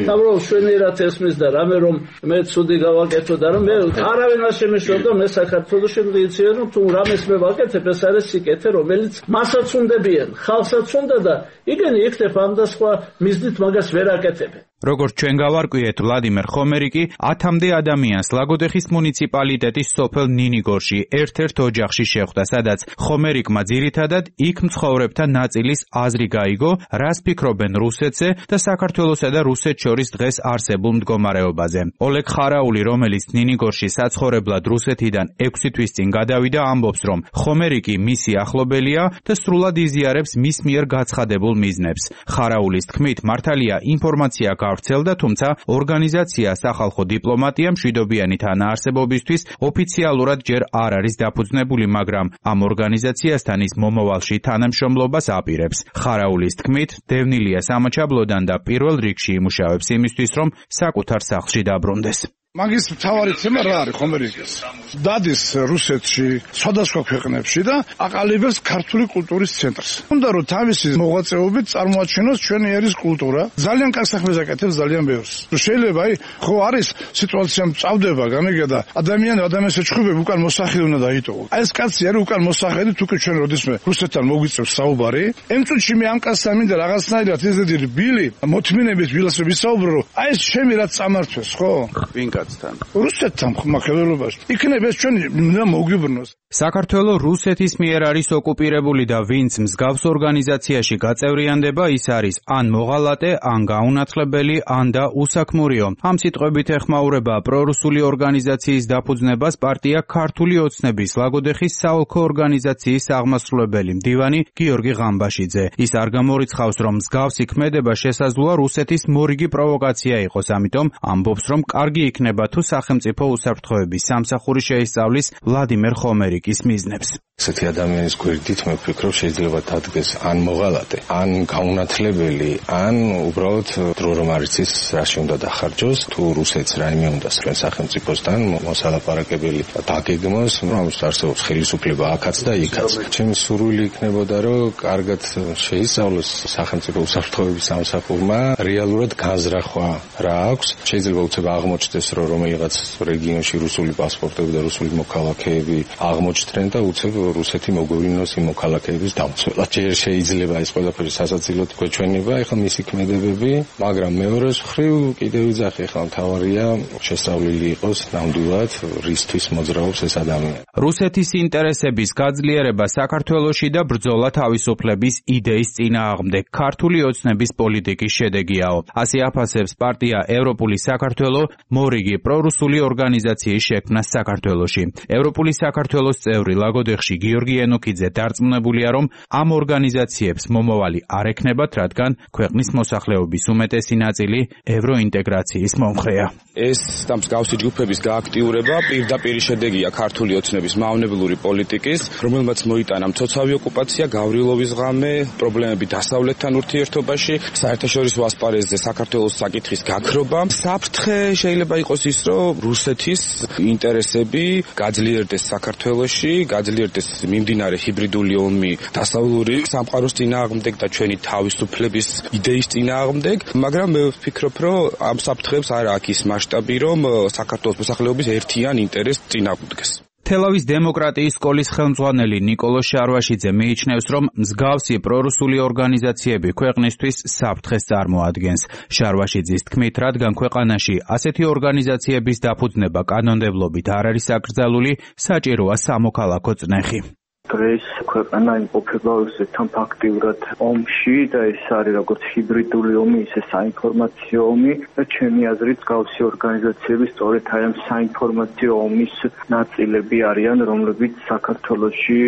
[SPEAKER 3] თავრობ შვენიერად ესმის და რამე რომ მე ცუდი გავაკეთო და რომ მე არავინ არ შემეშვებდა, მე საქართველოში მდიცია რომ თუ რამეს მე ვაკეთებ, ეს არის სიკეთე, რომელიც მასაც უნდებიან, ხალხსაც უნდა და იგენი იქნებ ამ და სხვა მიზნით მაგას ვერ აკეთებენ.
[SPEAKER 10] როგორც ჩვენ გავარკვიეთ, ვლადიმერ ხომერიკი ათამდე ადამიანს ლაგოდეხის მუნიციპალიტეტის სოფელ ნინიგორში ერთ-ერთ ოჯახში შეხვდა, სადაც ხომერიკმა ძირითადად იქ მცხოვრებთა ნაწილის აზრი გაიგო, რას ფიქრობენ რუსეთზე და საქართველოსა და რუსეთს შორის დღეს არსებულ მდგომარეობაზე. ოლეგ ხარაული, რომელიც ნინიგორში საცხოვრებლად რუსეთიდან ექვსი თვის წინ გადავიდა, ამბობს, რომ ხომერიკი მისი ახლობელია და სრულად იზიარებს მის მიერ გაცხადებულ მიზნებს. ხარაულის თქმით, მართალია ინფორმაცია გავრცელდა, თუმცა ორგანიზაცია სახალხო დიპლომატია მშვიდობიანი თანაარსებობისთვის ოფიციალურად ჯერ არ არის დაფუძნებული, მაგრამ ამ ორგანიზაციასთან ის მომავალში თანამშრომლობას აპირებს. ხარაულის თქმით, დევნილია სამაჩაბლოდან და პირველ რიგში იმუშავებს იმისთვის, რომ საკუთარ სახლში დაბრუნდეს.
[SPEAKER 11] მაგის მთავარი თემა რა არის ხომერიკის? დადის რუსეთში, სხვადასხვა ქვეყნებში და აყალიბებს ქართული კულტურის ცენტრს. უნდა რომ თავისი მოღვაწეობით წარმოაჩენოს ჩვენი ერის კულტურა. ძალიან კარგ საქმეს აკეთებს, ძალიან ბევრს. შეიძლება აი ხო არის სიტუაცია მწავდება, გამიგე და ადამიანი ადამიანს ეჩხუბები უკან მოსახედი უნდა დაიტოვო. აი ეს კაცი არის უკან მოსახედი, თუკი ჩვენ როდისმე რუსეთთან მოგვიწევს საუბარი, იმ წუთში მე ამ კაცთან მინდა რაღაცნაირად ეზედი ბილი, მოთმინებით ვილას ვისაუბრო, აი ეს ჩემი რაც წამართვეს, ხო? რუსეთთან ხმახედელობაში. იქნებ ეს ჩვენი უნდა მოგვიბრნოს.
[SPEAKER 10] საქართველო რუსეთის მიერ არის ოკუპირებული და ვინც მსგავს ორგანიზაციაში გაწევრიანდება, ის არის ან მოღალატე, ან გაუნათლებელი, ან და უსაქმურიო. ამ სიტყვებით ეხმაურება პრორუსული ორგანიზაციის დაფუძნებას პარტია ქართული ოცნების ლაგოდეხის საოლქო ორგანიზაციის აღმასრულებელი მდივანი გიორგი ღამბაშიძე. ის არ გამორიცხავს, რომ მსგავსი ქმედება შესაძლოა რუსეთის მორიგი პროვოკაცია იყოს, ამიტომ ამბობს, რომ კარგი იქნება თუ სახელმწიფო უსაფრთხოების სამსახური შეისწავლის ვლადიმერ ხომერიკის მიზნებს.
[SPEAKER 12] ესეთი ადამიანის გვერდით მე ვფიქრობ შეიძლება დადგეს ან მოღალატე, ან გაუნათლებელი, ან უბრალოდ დრო რომ არ იცის რაში უნდა დახარჯოს, თუ რუსეთს რაიმე უნდა სწრენ სახელმწიფოსთან მოსალაპარაკებელი დაგეგმოს, რომ ამის არსებობს ხელისუფლება აქაც და იქაც. ჩემი სურვილი იქნებოდა, რომ კარგად შეისწავლოს სახელმწიფო უსაფრთხოების სამსახურმა რეალურად განზრახვა რა აქვს. შეიძლება უცებ აღმოჩნდეს, რომ რომელიღაც რეგიონში რუსული პასპორტები და რუსული მოქალაქეები აღმოჩნდნენ და უცებ რუსეთი მოგვივლინოს იმ მოქალაქეების დამცველად. ჯერ შეიძლება ეს ყველაფერი სასაცილოდ გვეჩვენება, ეხლა მისი ქმედებები, მაგრამ მეორეს მხრივ კიდევ ვიძახი, ეხლა მთავარია შესწავლილი იყოს ნამდვილად რისთვის მოძრაობს ეს ადამიანი.
[SPEAKER 10] რუსეთის ინტერესების გაძლიერება საქართველოში და ბრძოლა თავისუფლების იდეის წინააღმდეგ ქართული ოცნების პოლიტიკის შედეგიაო. ასე აფასებს პარტია ევროპული საქართველო მორიგი პრორუსული ორგანიზაციის შექმნას საქართველოში. ევროპული საქართველოს წევრი ლაგოდეხში გიორგი ენოქიძე დარწმუნებულია, რომ ამ ორგანიზაციებს მომავალი არ ექნებათ, რადგან ქვეყნის მოსახლეობის უმეტესი ნაწილი ევროინტეგრაციის მომხრეა.
[SPEAKER 13] ეს და მსგავსი ჯგუფების გააქტიურება პირდაპირ შედეგია ქართული ოცნების მავნებლური პოლიტიკის, რომელმაც მოიტანა მცოცავი ოკუპაცია, გავრილობის ღამე, პრობლემები დასავლეთთან ურთიერთობაში, საერთაშორისო ასპარეზზე საქართველოს საკითხის გაქრობა. საფრთხე შეიძლება იყოს ის, რომ რუსეთის ინტერესები გაძლიერდეს საქართველოში, გაძლიერდეს მიმდინარე ჰიბრიდული ომი დასავლური სამყაროს წინააღმდეგ და ჩვენი თავისუფლების იდეის წინააღმდეგ, მაგრამ მე ვფიქრობ, რომ ამ საფრთხეებს არ აქვს ის მასშტაბი, რომ საქართველოს მოსახლეობის ერთიან ინტერესს წინააღმდეგს.
[SPEAKER 10] თელავის დემოკრატიის სკოლის ხელმძღვანელი ნიკოლოს შარვაშიძე მიიჩნევს, რომ მსგავსი პრორუსული ორგანიზაციები ქვეყნისთვის საფრთხეს წარმოადგენს. შარვაშიძის თქმით, რადგან ქვეყანაში ასეთი ორგანიზაციების დაფუძნება კანონმდებლობით არ არის აკრძალული, საჭიროა სამოქალაქო წნეხი.
[SPEAKER 14] დღეს ქვეყანა იმყოფება რუსეთთან ფაქტიურად ომში და ეს არის როგორც ჰიბრიდული ომი, ისე საინფორმაციო ომი და ჩემი აზრით მსგავსი ორგანიზაციები სწორედ აი ამ საინფორმაციო ომის ნაწილები არიან, რომლებიც საქართველოში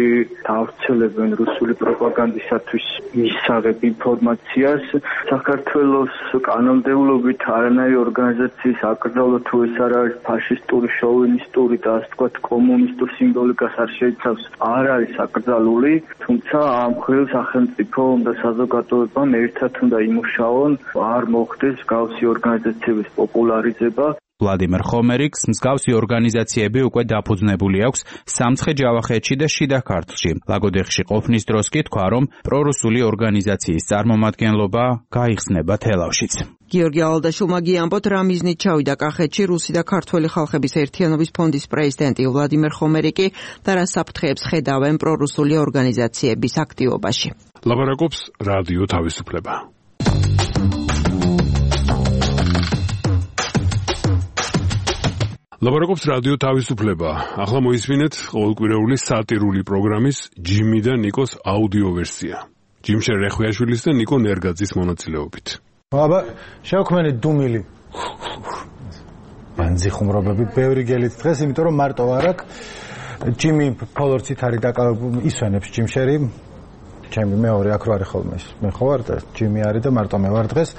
[SPEAKER 14] დავრცელებენ რუსული პროპაგანდისათვის მისაღებ ინფორმაციას. საქართველოს კანონმდებლობით არანაირი ორგანიზაციის აკრძალვა თუ ეს არ არის ფაშისტური, შოვინისტური და ასე ვთქვათ კომუნისტურ სიმბოლიკას არ შეიცავს, არ არის აკრძალული, თუმცა ამ მხრივ სახელმწიფო და საზოგადოებამ ერთად უნდა იმუშაონ, არ მოხდეს მსგავსი ორგანიზაციების პოპულარიზება.
[SPEAKER 10] ვლადიმერ ხომერიკს მსგავსი ორგანიზაციები უკვე დაფუძნებული აქვს სამცხე-ჯავახეთში და შიდა ქართლში. ლაგოდეხში ყოფნის დროს კი თქვა, რომ პრორუსული ორგანიზაციის წარმომადგენლობა გაიხსნება თელავშიც. გიორგი ალადაშვილმა გიამბოთ, რა მიზნით ჩავიდა კახეთში რუსი და ქართველი ხალხების ერთიანობის ფონდის პრეზიდენტი ვლადიმერ ხომერიკი და რა საფრთხეებს ხედავენ პრორუსული ორგანიზაციების აქტივობაში.
[SPEAKER 1] ლაბარაკობს რადიო თავისუფლება. ლაბარაკობს რადიო თავისუფლება. ახლა მოისმინეთ ყოველკვირეული სატირული პროგრამის ჯიმი და ნიკოს აუდიო ვერსია. ჯიმშერ რეხვიაშვილის და ნიკო ნერგაძის მონაწილეობით.
[SPEAKER 15] აბა, შევქმენი დუმილი. ბანძი ხუმრობები ბევრი გელით დღეს, იმიტომ რომ მარტო არ აქვს. ჯიმი ფოლორცით არის დაკავებული, ისვენებს ჯიმშერი. ჩემი მეორე აქ რო არის ხოლმე ის. მე ხო ვარ და ჯიმი არის და მარტო მე ვარ დღეს.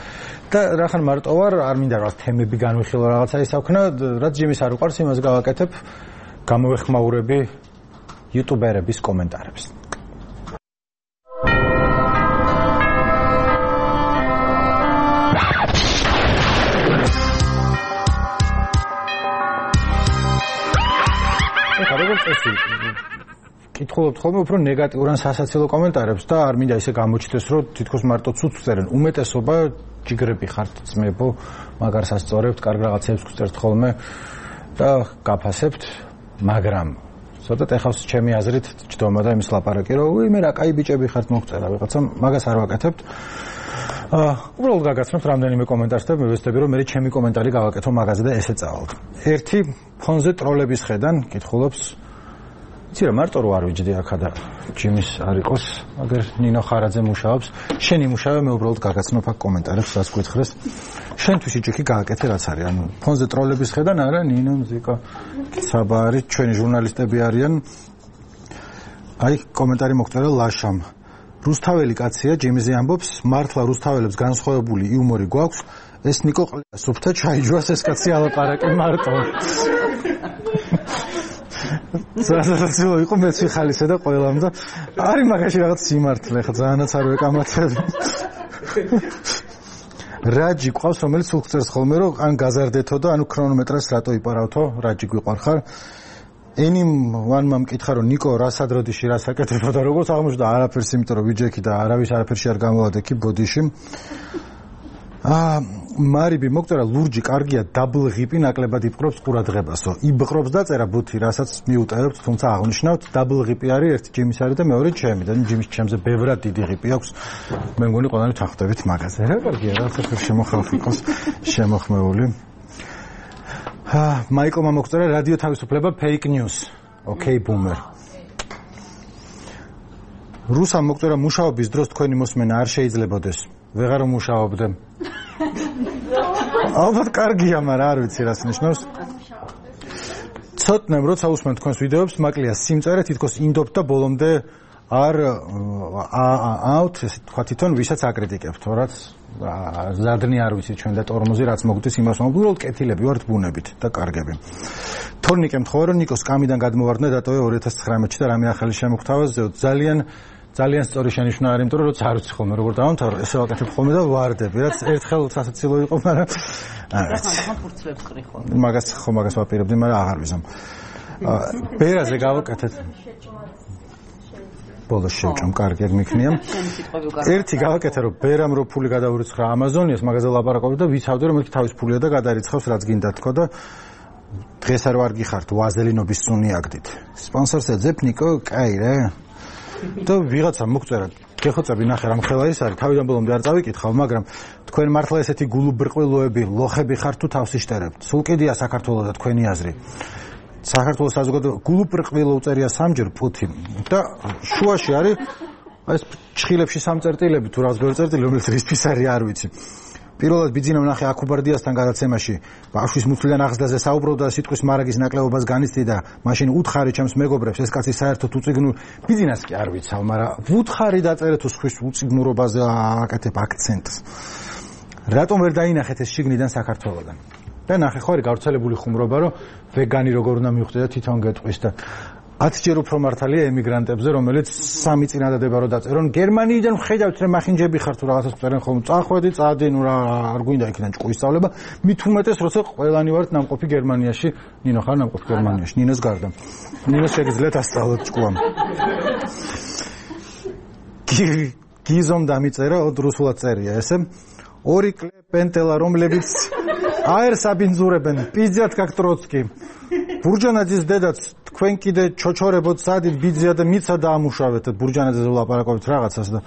[SPEAKER 15] და რახან მარტო ვარ, არ მინდა რაღაც თემები განვიხილო რაღაცა ისაქვნა, რაც ჯიმის არ უყარს, იმას გავაკეთებ. გამოვეხმაურები იუტუბერების კომენტარებს. წესი კითხულობთ ხოლმე უფრო ნეგატიურ ან სასაცილო კომენტარებს და არ მინდა ისე გამოჩნდეს, რომ თითქოს მარტო ცუცს წერენ. უმეტესობა ჯიგრები ხართ, ძმებო, მაგარს ასწორებთ, კარგ რაღაცებს გვწერთ ხოლმე და გაფასებთ, მაგრამ ცოტა ეხავს ჩემი აზრით ჯდომა და იმის ლაპარაკი, რომ უი მე რა კაი ბიჭები ხართ მოგწერა ვიღაცამ, მაგას არ ვაკეთებთ. აა უბრალოდ გაგაცნობთ რამდენიმე კომენტარს და მივეცდები, რომ მე ჩემი კომენტარი გავაკეთო მაგაზე და ესე წავალ. ერთი ფონზე ტროლების ხედან კითხულობს იცი რა მარტო რო არ ვიჯდი აქა და ჯიმის არ იყოს, აგერ ნინო ხარაძე მუშაობს, შენ იმუშავე, მე უბრალოდ გაგაცნობ აქ კომენტარებს, რაც გითხრეს. შენთვის იჭიქი გააკეთე რაც არის, ანუ ფონზე ტროლების ხედან არა ნინო მზიკა საბა არის, ჩვენი ჟურნალისტები არიან. აი კომენტარი მოგწერა ლაშამ. რუსთაველი კაცია, ჯიმიზე ამბობს, მართლა რუსთაველებს განსხვავებული იუმორი გვაქვს, ეს ნიკო ყლია სუფთა ჩაიჯვას ეს კაცი ალაპარაკი მარტო. ზარზარცილო იყო მეც ვიხალისე და ყველამ და არის მაგაში რაღაც სიმართლე ხა ძალიანაც არ ვეკამათებ. რაჯი ყავს რომელიც სულ წერს ხოლმე რომ ან გაზარდეთო და ანუ ქრონომეტრას რატო იპარავთო, რაჯი გვიყვარხარ. ენიმ ვანმა მკითხა რომ ნიკო რა სადროდიში რა საკეთებდა და როგორც აღმოჩნდა არაფერს, იმიტომ რომ ვიჯექი და არავის არაფერში არ გამოვადექი ბოდიში. აა მარიბი მოგწერა ლურჯი კარგია დაბლ ღიპი ნაკლებად იპყრობს ყურადღებასო. იბყრობს დაწერა ბუთი, რასაც მიუტევებთ, თუმცა აღნიშნავთ დაბლ ღიპი არის ერთი ჯიმის არის და მეორე ჩემი და ჯიმის ჩემზე ბევრად დიდი ღიპი აქვს. მე მგონი ყველანი თანხდებით მაგაზე. რა კარგია, რაც ახერ შემოხალხ იყოს შემოხმეული. აა მაიკლმა მოგწერა რადიო თავისუფლება ფეიქ ნიუს. ოკეი ბუმერ. რუსამ მოგწერა მუშაობის დროს თქვენი მოსმენა არ შეიძლებაოდეს. ვეღარ მუშაობდე. ალბათ კარგია, მაგრამ არ ვიცი რას ნიშნავს. ცოტნემ როცა usmen თქვენს ვიდეოებს, მაკლია სიმწერე თითქოს ინდობთ და ბოლომდე არ აut ესე თქვა თვითონ ვისაც აკრიტიკებთ, რაც ზადნი არ ვიცი ჩვენ და ტორმოზი რაც მოგდის იმას უბრალოდ კეთილები ვართ ბუნებით და კარგები. თორნიკე მთხოვა რომ ნიკოს კამიდან გადმოვარდნა დატოვე ორი ათას ცხრამეტში და რამე ახალი შემოგთავაზ ძალიან ძალიან სწორი შენიშვნა არის, იმიტომ რომ როცა არ ვიცი ხოლმე როგორ დავამთავრო, ესე ვაკეთებ ხოლმე და ვარდები, რაც ერთხელ სასაცილო იყო, მაგრამ არ ვიცი. ფურცლებს ყრი ხოლმე. მაგას ხო მაგას ვაპირებდი, მაგრამ აღარ ვიზამ. ბერაზე გავაკეთეთ. ბოლოს შევჭამ, კარგი ეგ მიქნია. ერთი გავაკეთე რომ ბერამ რო ფული გადაურიცხა ამაზონიას, მაგაზე ლაპარაკობდი და ვიცავდი რომ მეთქი თავის ფულია და გადარიცხავს რაც გინდა თქო და დღეს არ ვარ გიხართ ვაზელინობის სუნი აგდით. სპონსორს ეძებ ნიკო, კაი რა. და ვიღაცა მოგწერა გეხოცები ნახე რამ ხელა ის არის თავიდან ბოლომდე არ წავიკითხავ მაგრამ თქვენ მართლა ესეთი გულუბრყვილოები ლოხები ხართ თუ თავს იშტერებთ სულ კიდია საქართველოს და თქვენი აზრი საქართველოს საზოგადოება გულუბრყვილო უწერია სამჯერ პუთინ და შუაში არის ეს ჩხილებში სამწერტილები თუ რაღაც ბევრი წერტილი რომელიც რისთვის არის არ ვიცი პირველად ბიძინა ვნახე აკუბარდიასთან გადაცემაში ბავშვის მუცლიდან აღზრდაზე საუბრობდა სიტყვის მარაგის ნაკლებობას განიცდიდა მაშინ უთხარი ჩემს მეგობრებს ეს კაცი საერთოდ უწიგნურ ბიძინას კი არ ვიცავ მაგრამ უთხარი დაწერე თუ სხვის უწიგნურობაზე აკეთებ აქცენტს რატომ ვერ დაინახეთ ეს შიგნიდან საქართველოსთან და ნახე ხო არის გავრცელებული ხუმრობა რომ ვეგანი როგორ უნდა მივხვდეთ თვითონ გეტყვის და ათჯერ უფრო მართალია ემიგრანტებზე, რომელიც სამი წინადადება რო დაწერონ, გერმანიიდან ხედავთ რომ მახინჯები ხართ თუ რაღაცას წერენ ხოლმე, წახვედი, წადი, ნუ რა არ გვინდა იქიდან ჭკუის სწავლება, მით უმეტეს როცა ყველანი ვართ ნამყოფი გერმანიაში, ნინო ხარ ნამყოფი გერმანიაში, ნინოს გარდა. ნინოს შეგიძლიათ ასწავლოთ ჭკუამ. გიზომ დამიწერა, ოდ რუსულად წერია ესე. ორი კლე პენტელა რომლებიც აერს აბინძურებენ, პიზიათ как ტროცკი. ბურჯანაძის დედაც თქვენ კიდე ჩოჩორებოთ სადით ბიძია და მიცა დაამუშავეთ ბურჯანაძეზე ვლაპარაკობთ რაღაცას და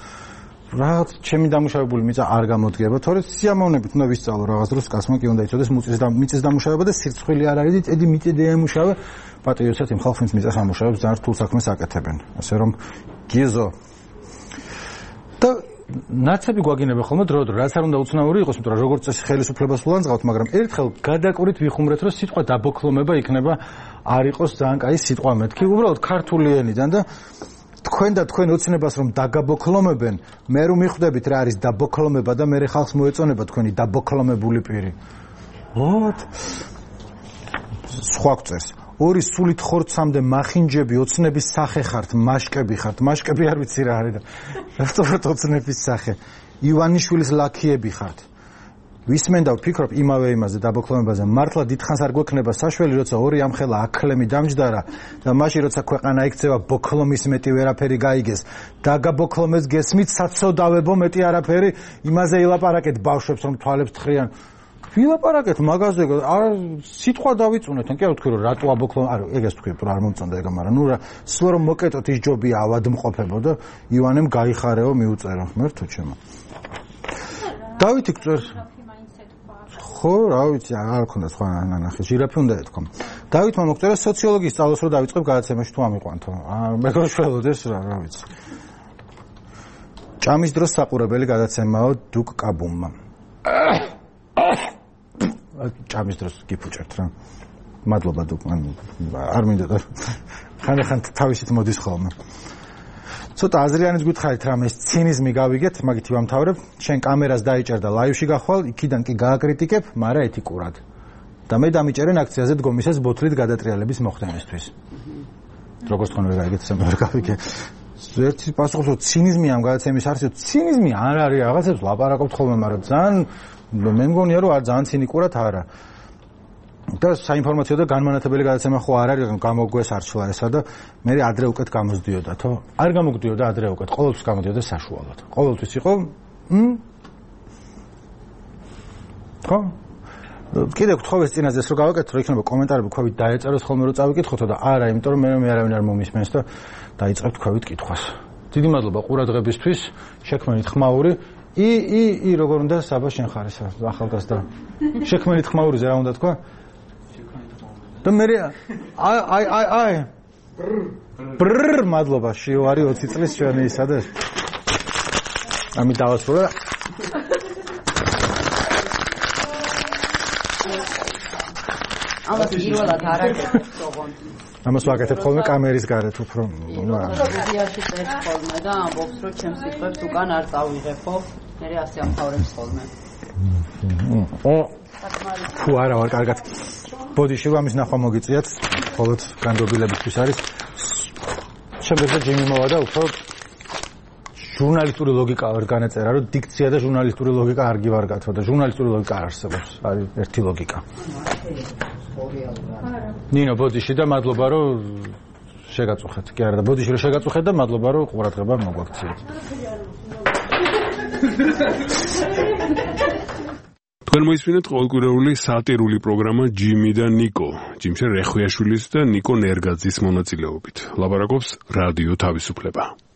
[SPEAKER 15] რაღაც ჩემი დამუშავებული მიწა არ გამოდგება თორე სიამოვნებით უნდა ვისწავლო რაღაც დროს კაცმა კი უნდა იცოდეს მიწის და მიწის დამუშავება და სირცხვილი არ არის ედი მიწი დაამუშავე პატრიოტად იმ ხალხს მიწას ამუშავებს ძალიან რთულ საქმეს აკეთებენ ასე რომ გიზო და ნაცები გვაგინებენ ხოლმე დრო-დრო რაც არ უნდა უცნაური იყოს იმიტომ რომ როგორც წესი ხელისუფლებას ულანძღავთ მაგრამ ერთხელ გადაკურით ვიხუმრეთ რომ სიტყვა დაბოქლომება იქნება არ იყოს ძალიან კაი სიტყვა მეთქი უბრალოდ ქართული ენიდან და თქვენ და თქვენ ოცნებას რომ დაგაბოქლომებენ მე რომ მიხვდებით რა არის დაბოქლომება და მე ხალხს მოეწონება თქვენი დაბოქლომებული პირი ვოთ სხვა გწერს ორი სულით ხორცამდე მახინჯები ოცნების სახე ხართ მაშკები ხართ მაშკები არ ვიცი რა არის და რატომ ოცნების სახე ივანიშვილის ლაქიები ხართ ვისმენდა ვფიქრობ იმავე იმაზე დაბოქლომებაზე მართლა დიდხანს არ გვექნება საშველი როცა ორი ამხელა აკლემი დამჯდარა და მაშინ როცა ქვეყანა იქცევა ბოქლომის მეტი ვერაფერი გაიგეს დაგაბოქლომეს გესმით საცოდავებო მეტი არაფერი იმაზე ილაპარაკეთ ბავშვებს რომ თვალებს თხრიან ვილაპარაკეთ მაგაზე არ სიტყვა დავიწუნეთ ან კი არ ვთქვი რომ რატო აბოქლომ არ ეგეს თქვი რომ არ მომწონდა ეგ მაგრამ ნუ რა სულ რომ მოკეტოთ ის ჯობია ავადმყოფებო და ივანემ გაიხარეო მიუწერო ღმერთო ჩემო დავითი გწერს ხო რა ვიცი არ ქონდა სხვა ნახე ჟირაფი უნდა ეთქო დავითმა მოგწერა სოციოლოგიის სწავლას რომ დავიწყებ გადაცემაში თუ ამიყვანთო მეგროშველოდეს რა რა ვიცი ჭამის დროს საყურებელი გადაცემაო დუკ კაბუმმა ჭამის დროს გიფუჭერთ რა მადლობა დუკ არ მინდა და ხანდახან თავისით მოდის ხოლმე ცოტა აზრიანის გითხარით რამე ეს ცინიზმი გავიგეთ მაგით ვამთავრებ შენ კამერას დაიჭერ და ლაივში გახვალ იქიდან კი გააკრიტიკებ მაგრამ ეთიკურად და მე დამიჭერენ აქციაზე დგომისას ბოთლით გადატრიალების მოხდენისთვის როგორც თქვენ ვერ გაიგეთ სამ ვერ გავიგე ერთი პასუხობს რომ ცინიზმი ამ გადაცემის არსებობს ცინიზმი არ არის რაღაცებს ლაპარაკობთ ხოლმე მაგრამ ძალიან მე მგონია რომ არ ძალიან ცინიკურად არა და საინფორმაციო და განმანათებელი გადაცემა ხო არ არის გამოგვეს არჩლა ესა და მე ადრე უკეთ გამოსდიოდა თო არ გამოგდიოდა ადრე უკეთ ყოველთვის გამოდიოდა საშუალოდ ყოველთვის იყო მ ხო კიდე გთხოვეს წინაზეს რომ გავაკეთო რომ იქნება კომენტარები ქვევით დაეწეროს ხოლმე რომ წავიკითხოთ და არა იმიტომ რომ მე მე არავინ არ მომისმენს და დაიწყებთ ქვევით კითხვას დიდი მადლობა ყურადღებისთვის შექმნით ხმაური ი ი ი როგორ უნდა საბა შენ ხარ ესა ახალგაზრდა შექმნით ხმაურიზე რა უნდა თქვა და მე აი აი აი აი ბრრ მადლობა შევარი ოცი წლის ჩვენი ისა და ამი დავასრულე
[SPEAKER 16] ამას პირველად არ აკეთებს ოღონდ.
[SPEAKER 15] ამას ვაკეთებ ხოლმე კამერის გარეთ უფრო.
[SPEAKER 16] სტუდიაში წერს ხოლმე და ამბობს, რომ ჩემს სიტყვებს უკან არ წავიღებო, მე ასე ამთავრებს ხოლმე.
[SPEAKER 15] ფუ არა ვარ კარგად. ბოდიში ამის ნახვა მოგიწიათ, მხოლოდ განდობილებისთვის არის. შემდეგ და ჯიმი მოვა და უფრო ჟურნალისტური ლოგიკა ვერ განეწერა, რომ დიქცია და ჟურნალისტური ლოგიკა არ გივარგათო და ჟურნალისტური ლოგიკა არ არსებობს. არის ერთი ლოგიკა. ნინო ბოდიში და მადლობა რომ შეგაწუხეთ. კი არა და ბოდიში რომ შეგაწუხეთ და მადლობა რომ ყურადღება მოგვაქციეთ.
[SPEAKER 1] თქვენ მოისმინეთ ყოველკვირეული სატირული პროგრამა ჯიმი და ნიკო, ჯიმშე რეხვიაშვილის და ნიკო ნერგაძის მონაწილეობით. ლაპარაკობს რადიო თავისუფლება.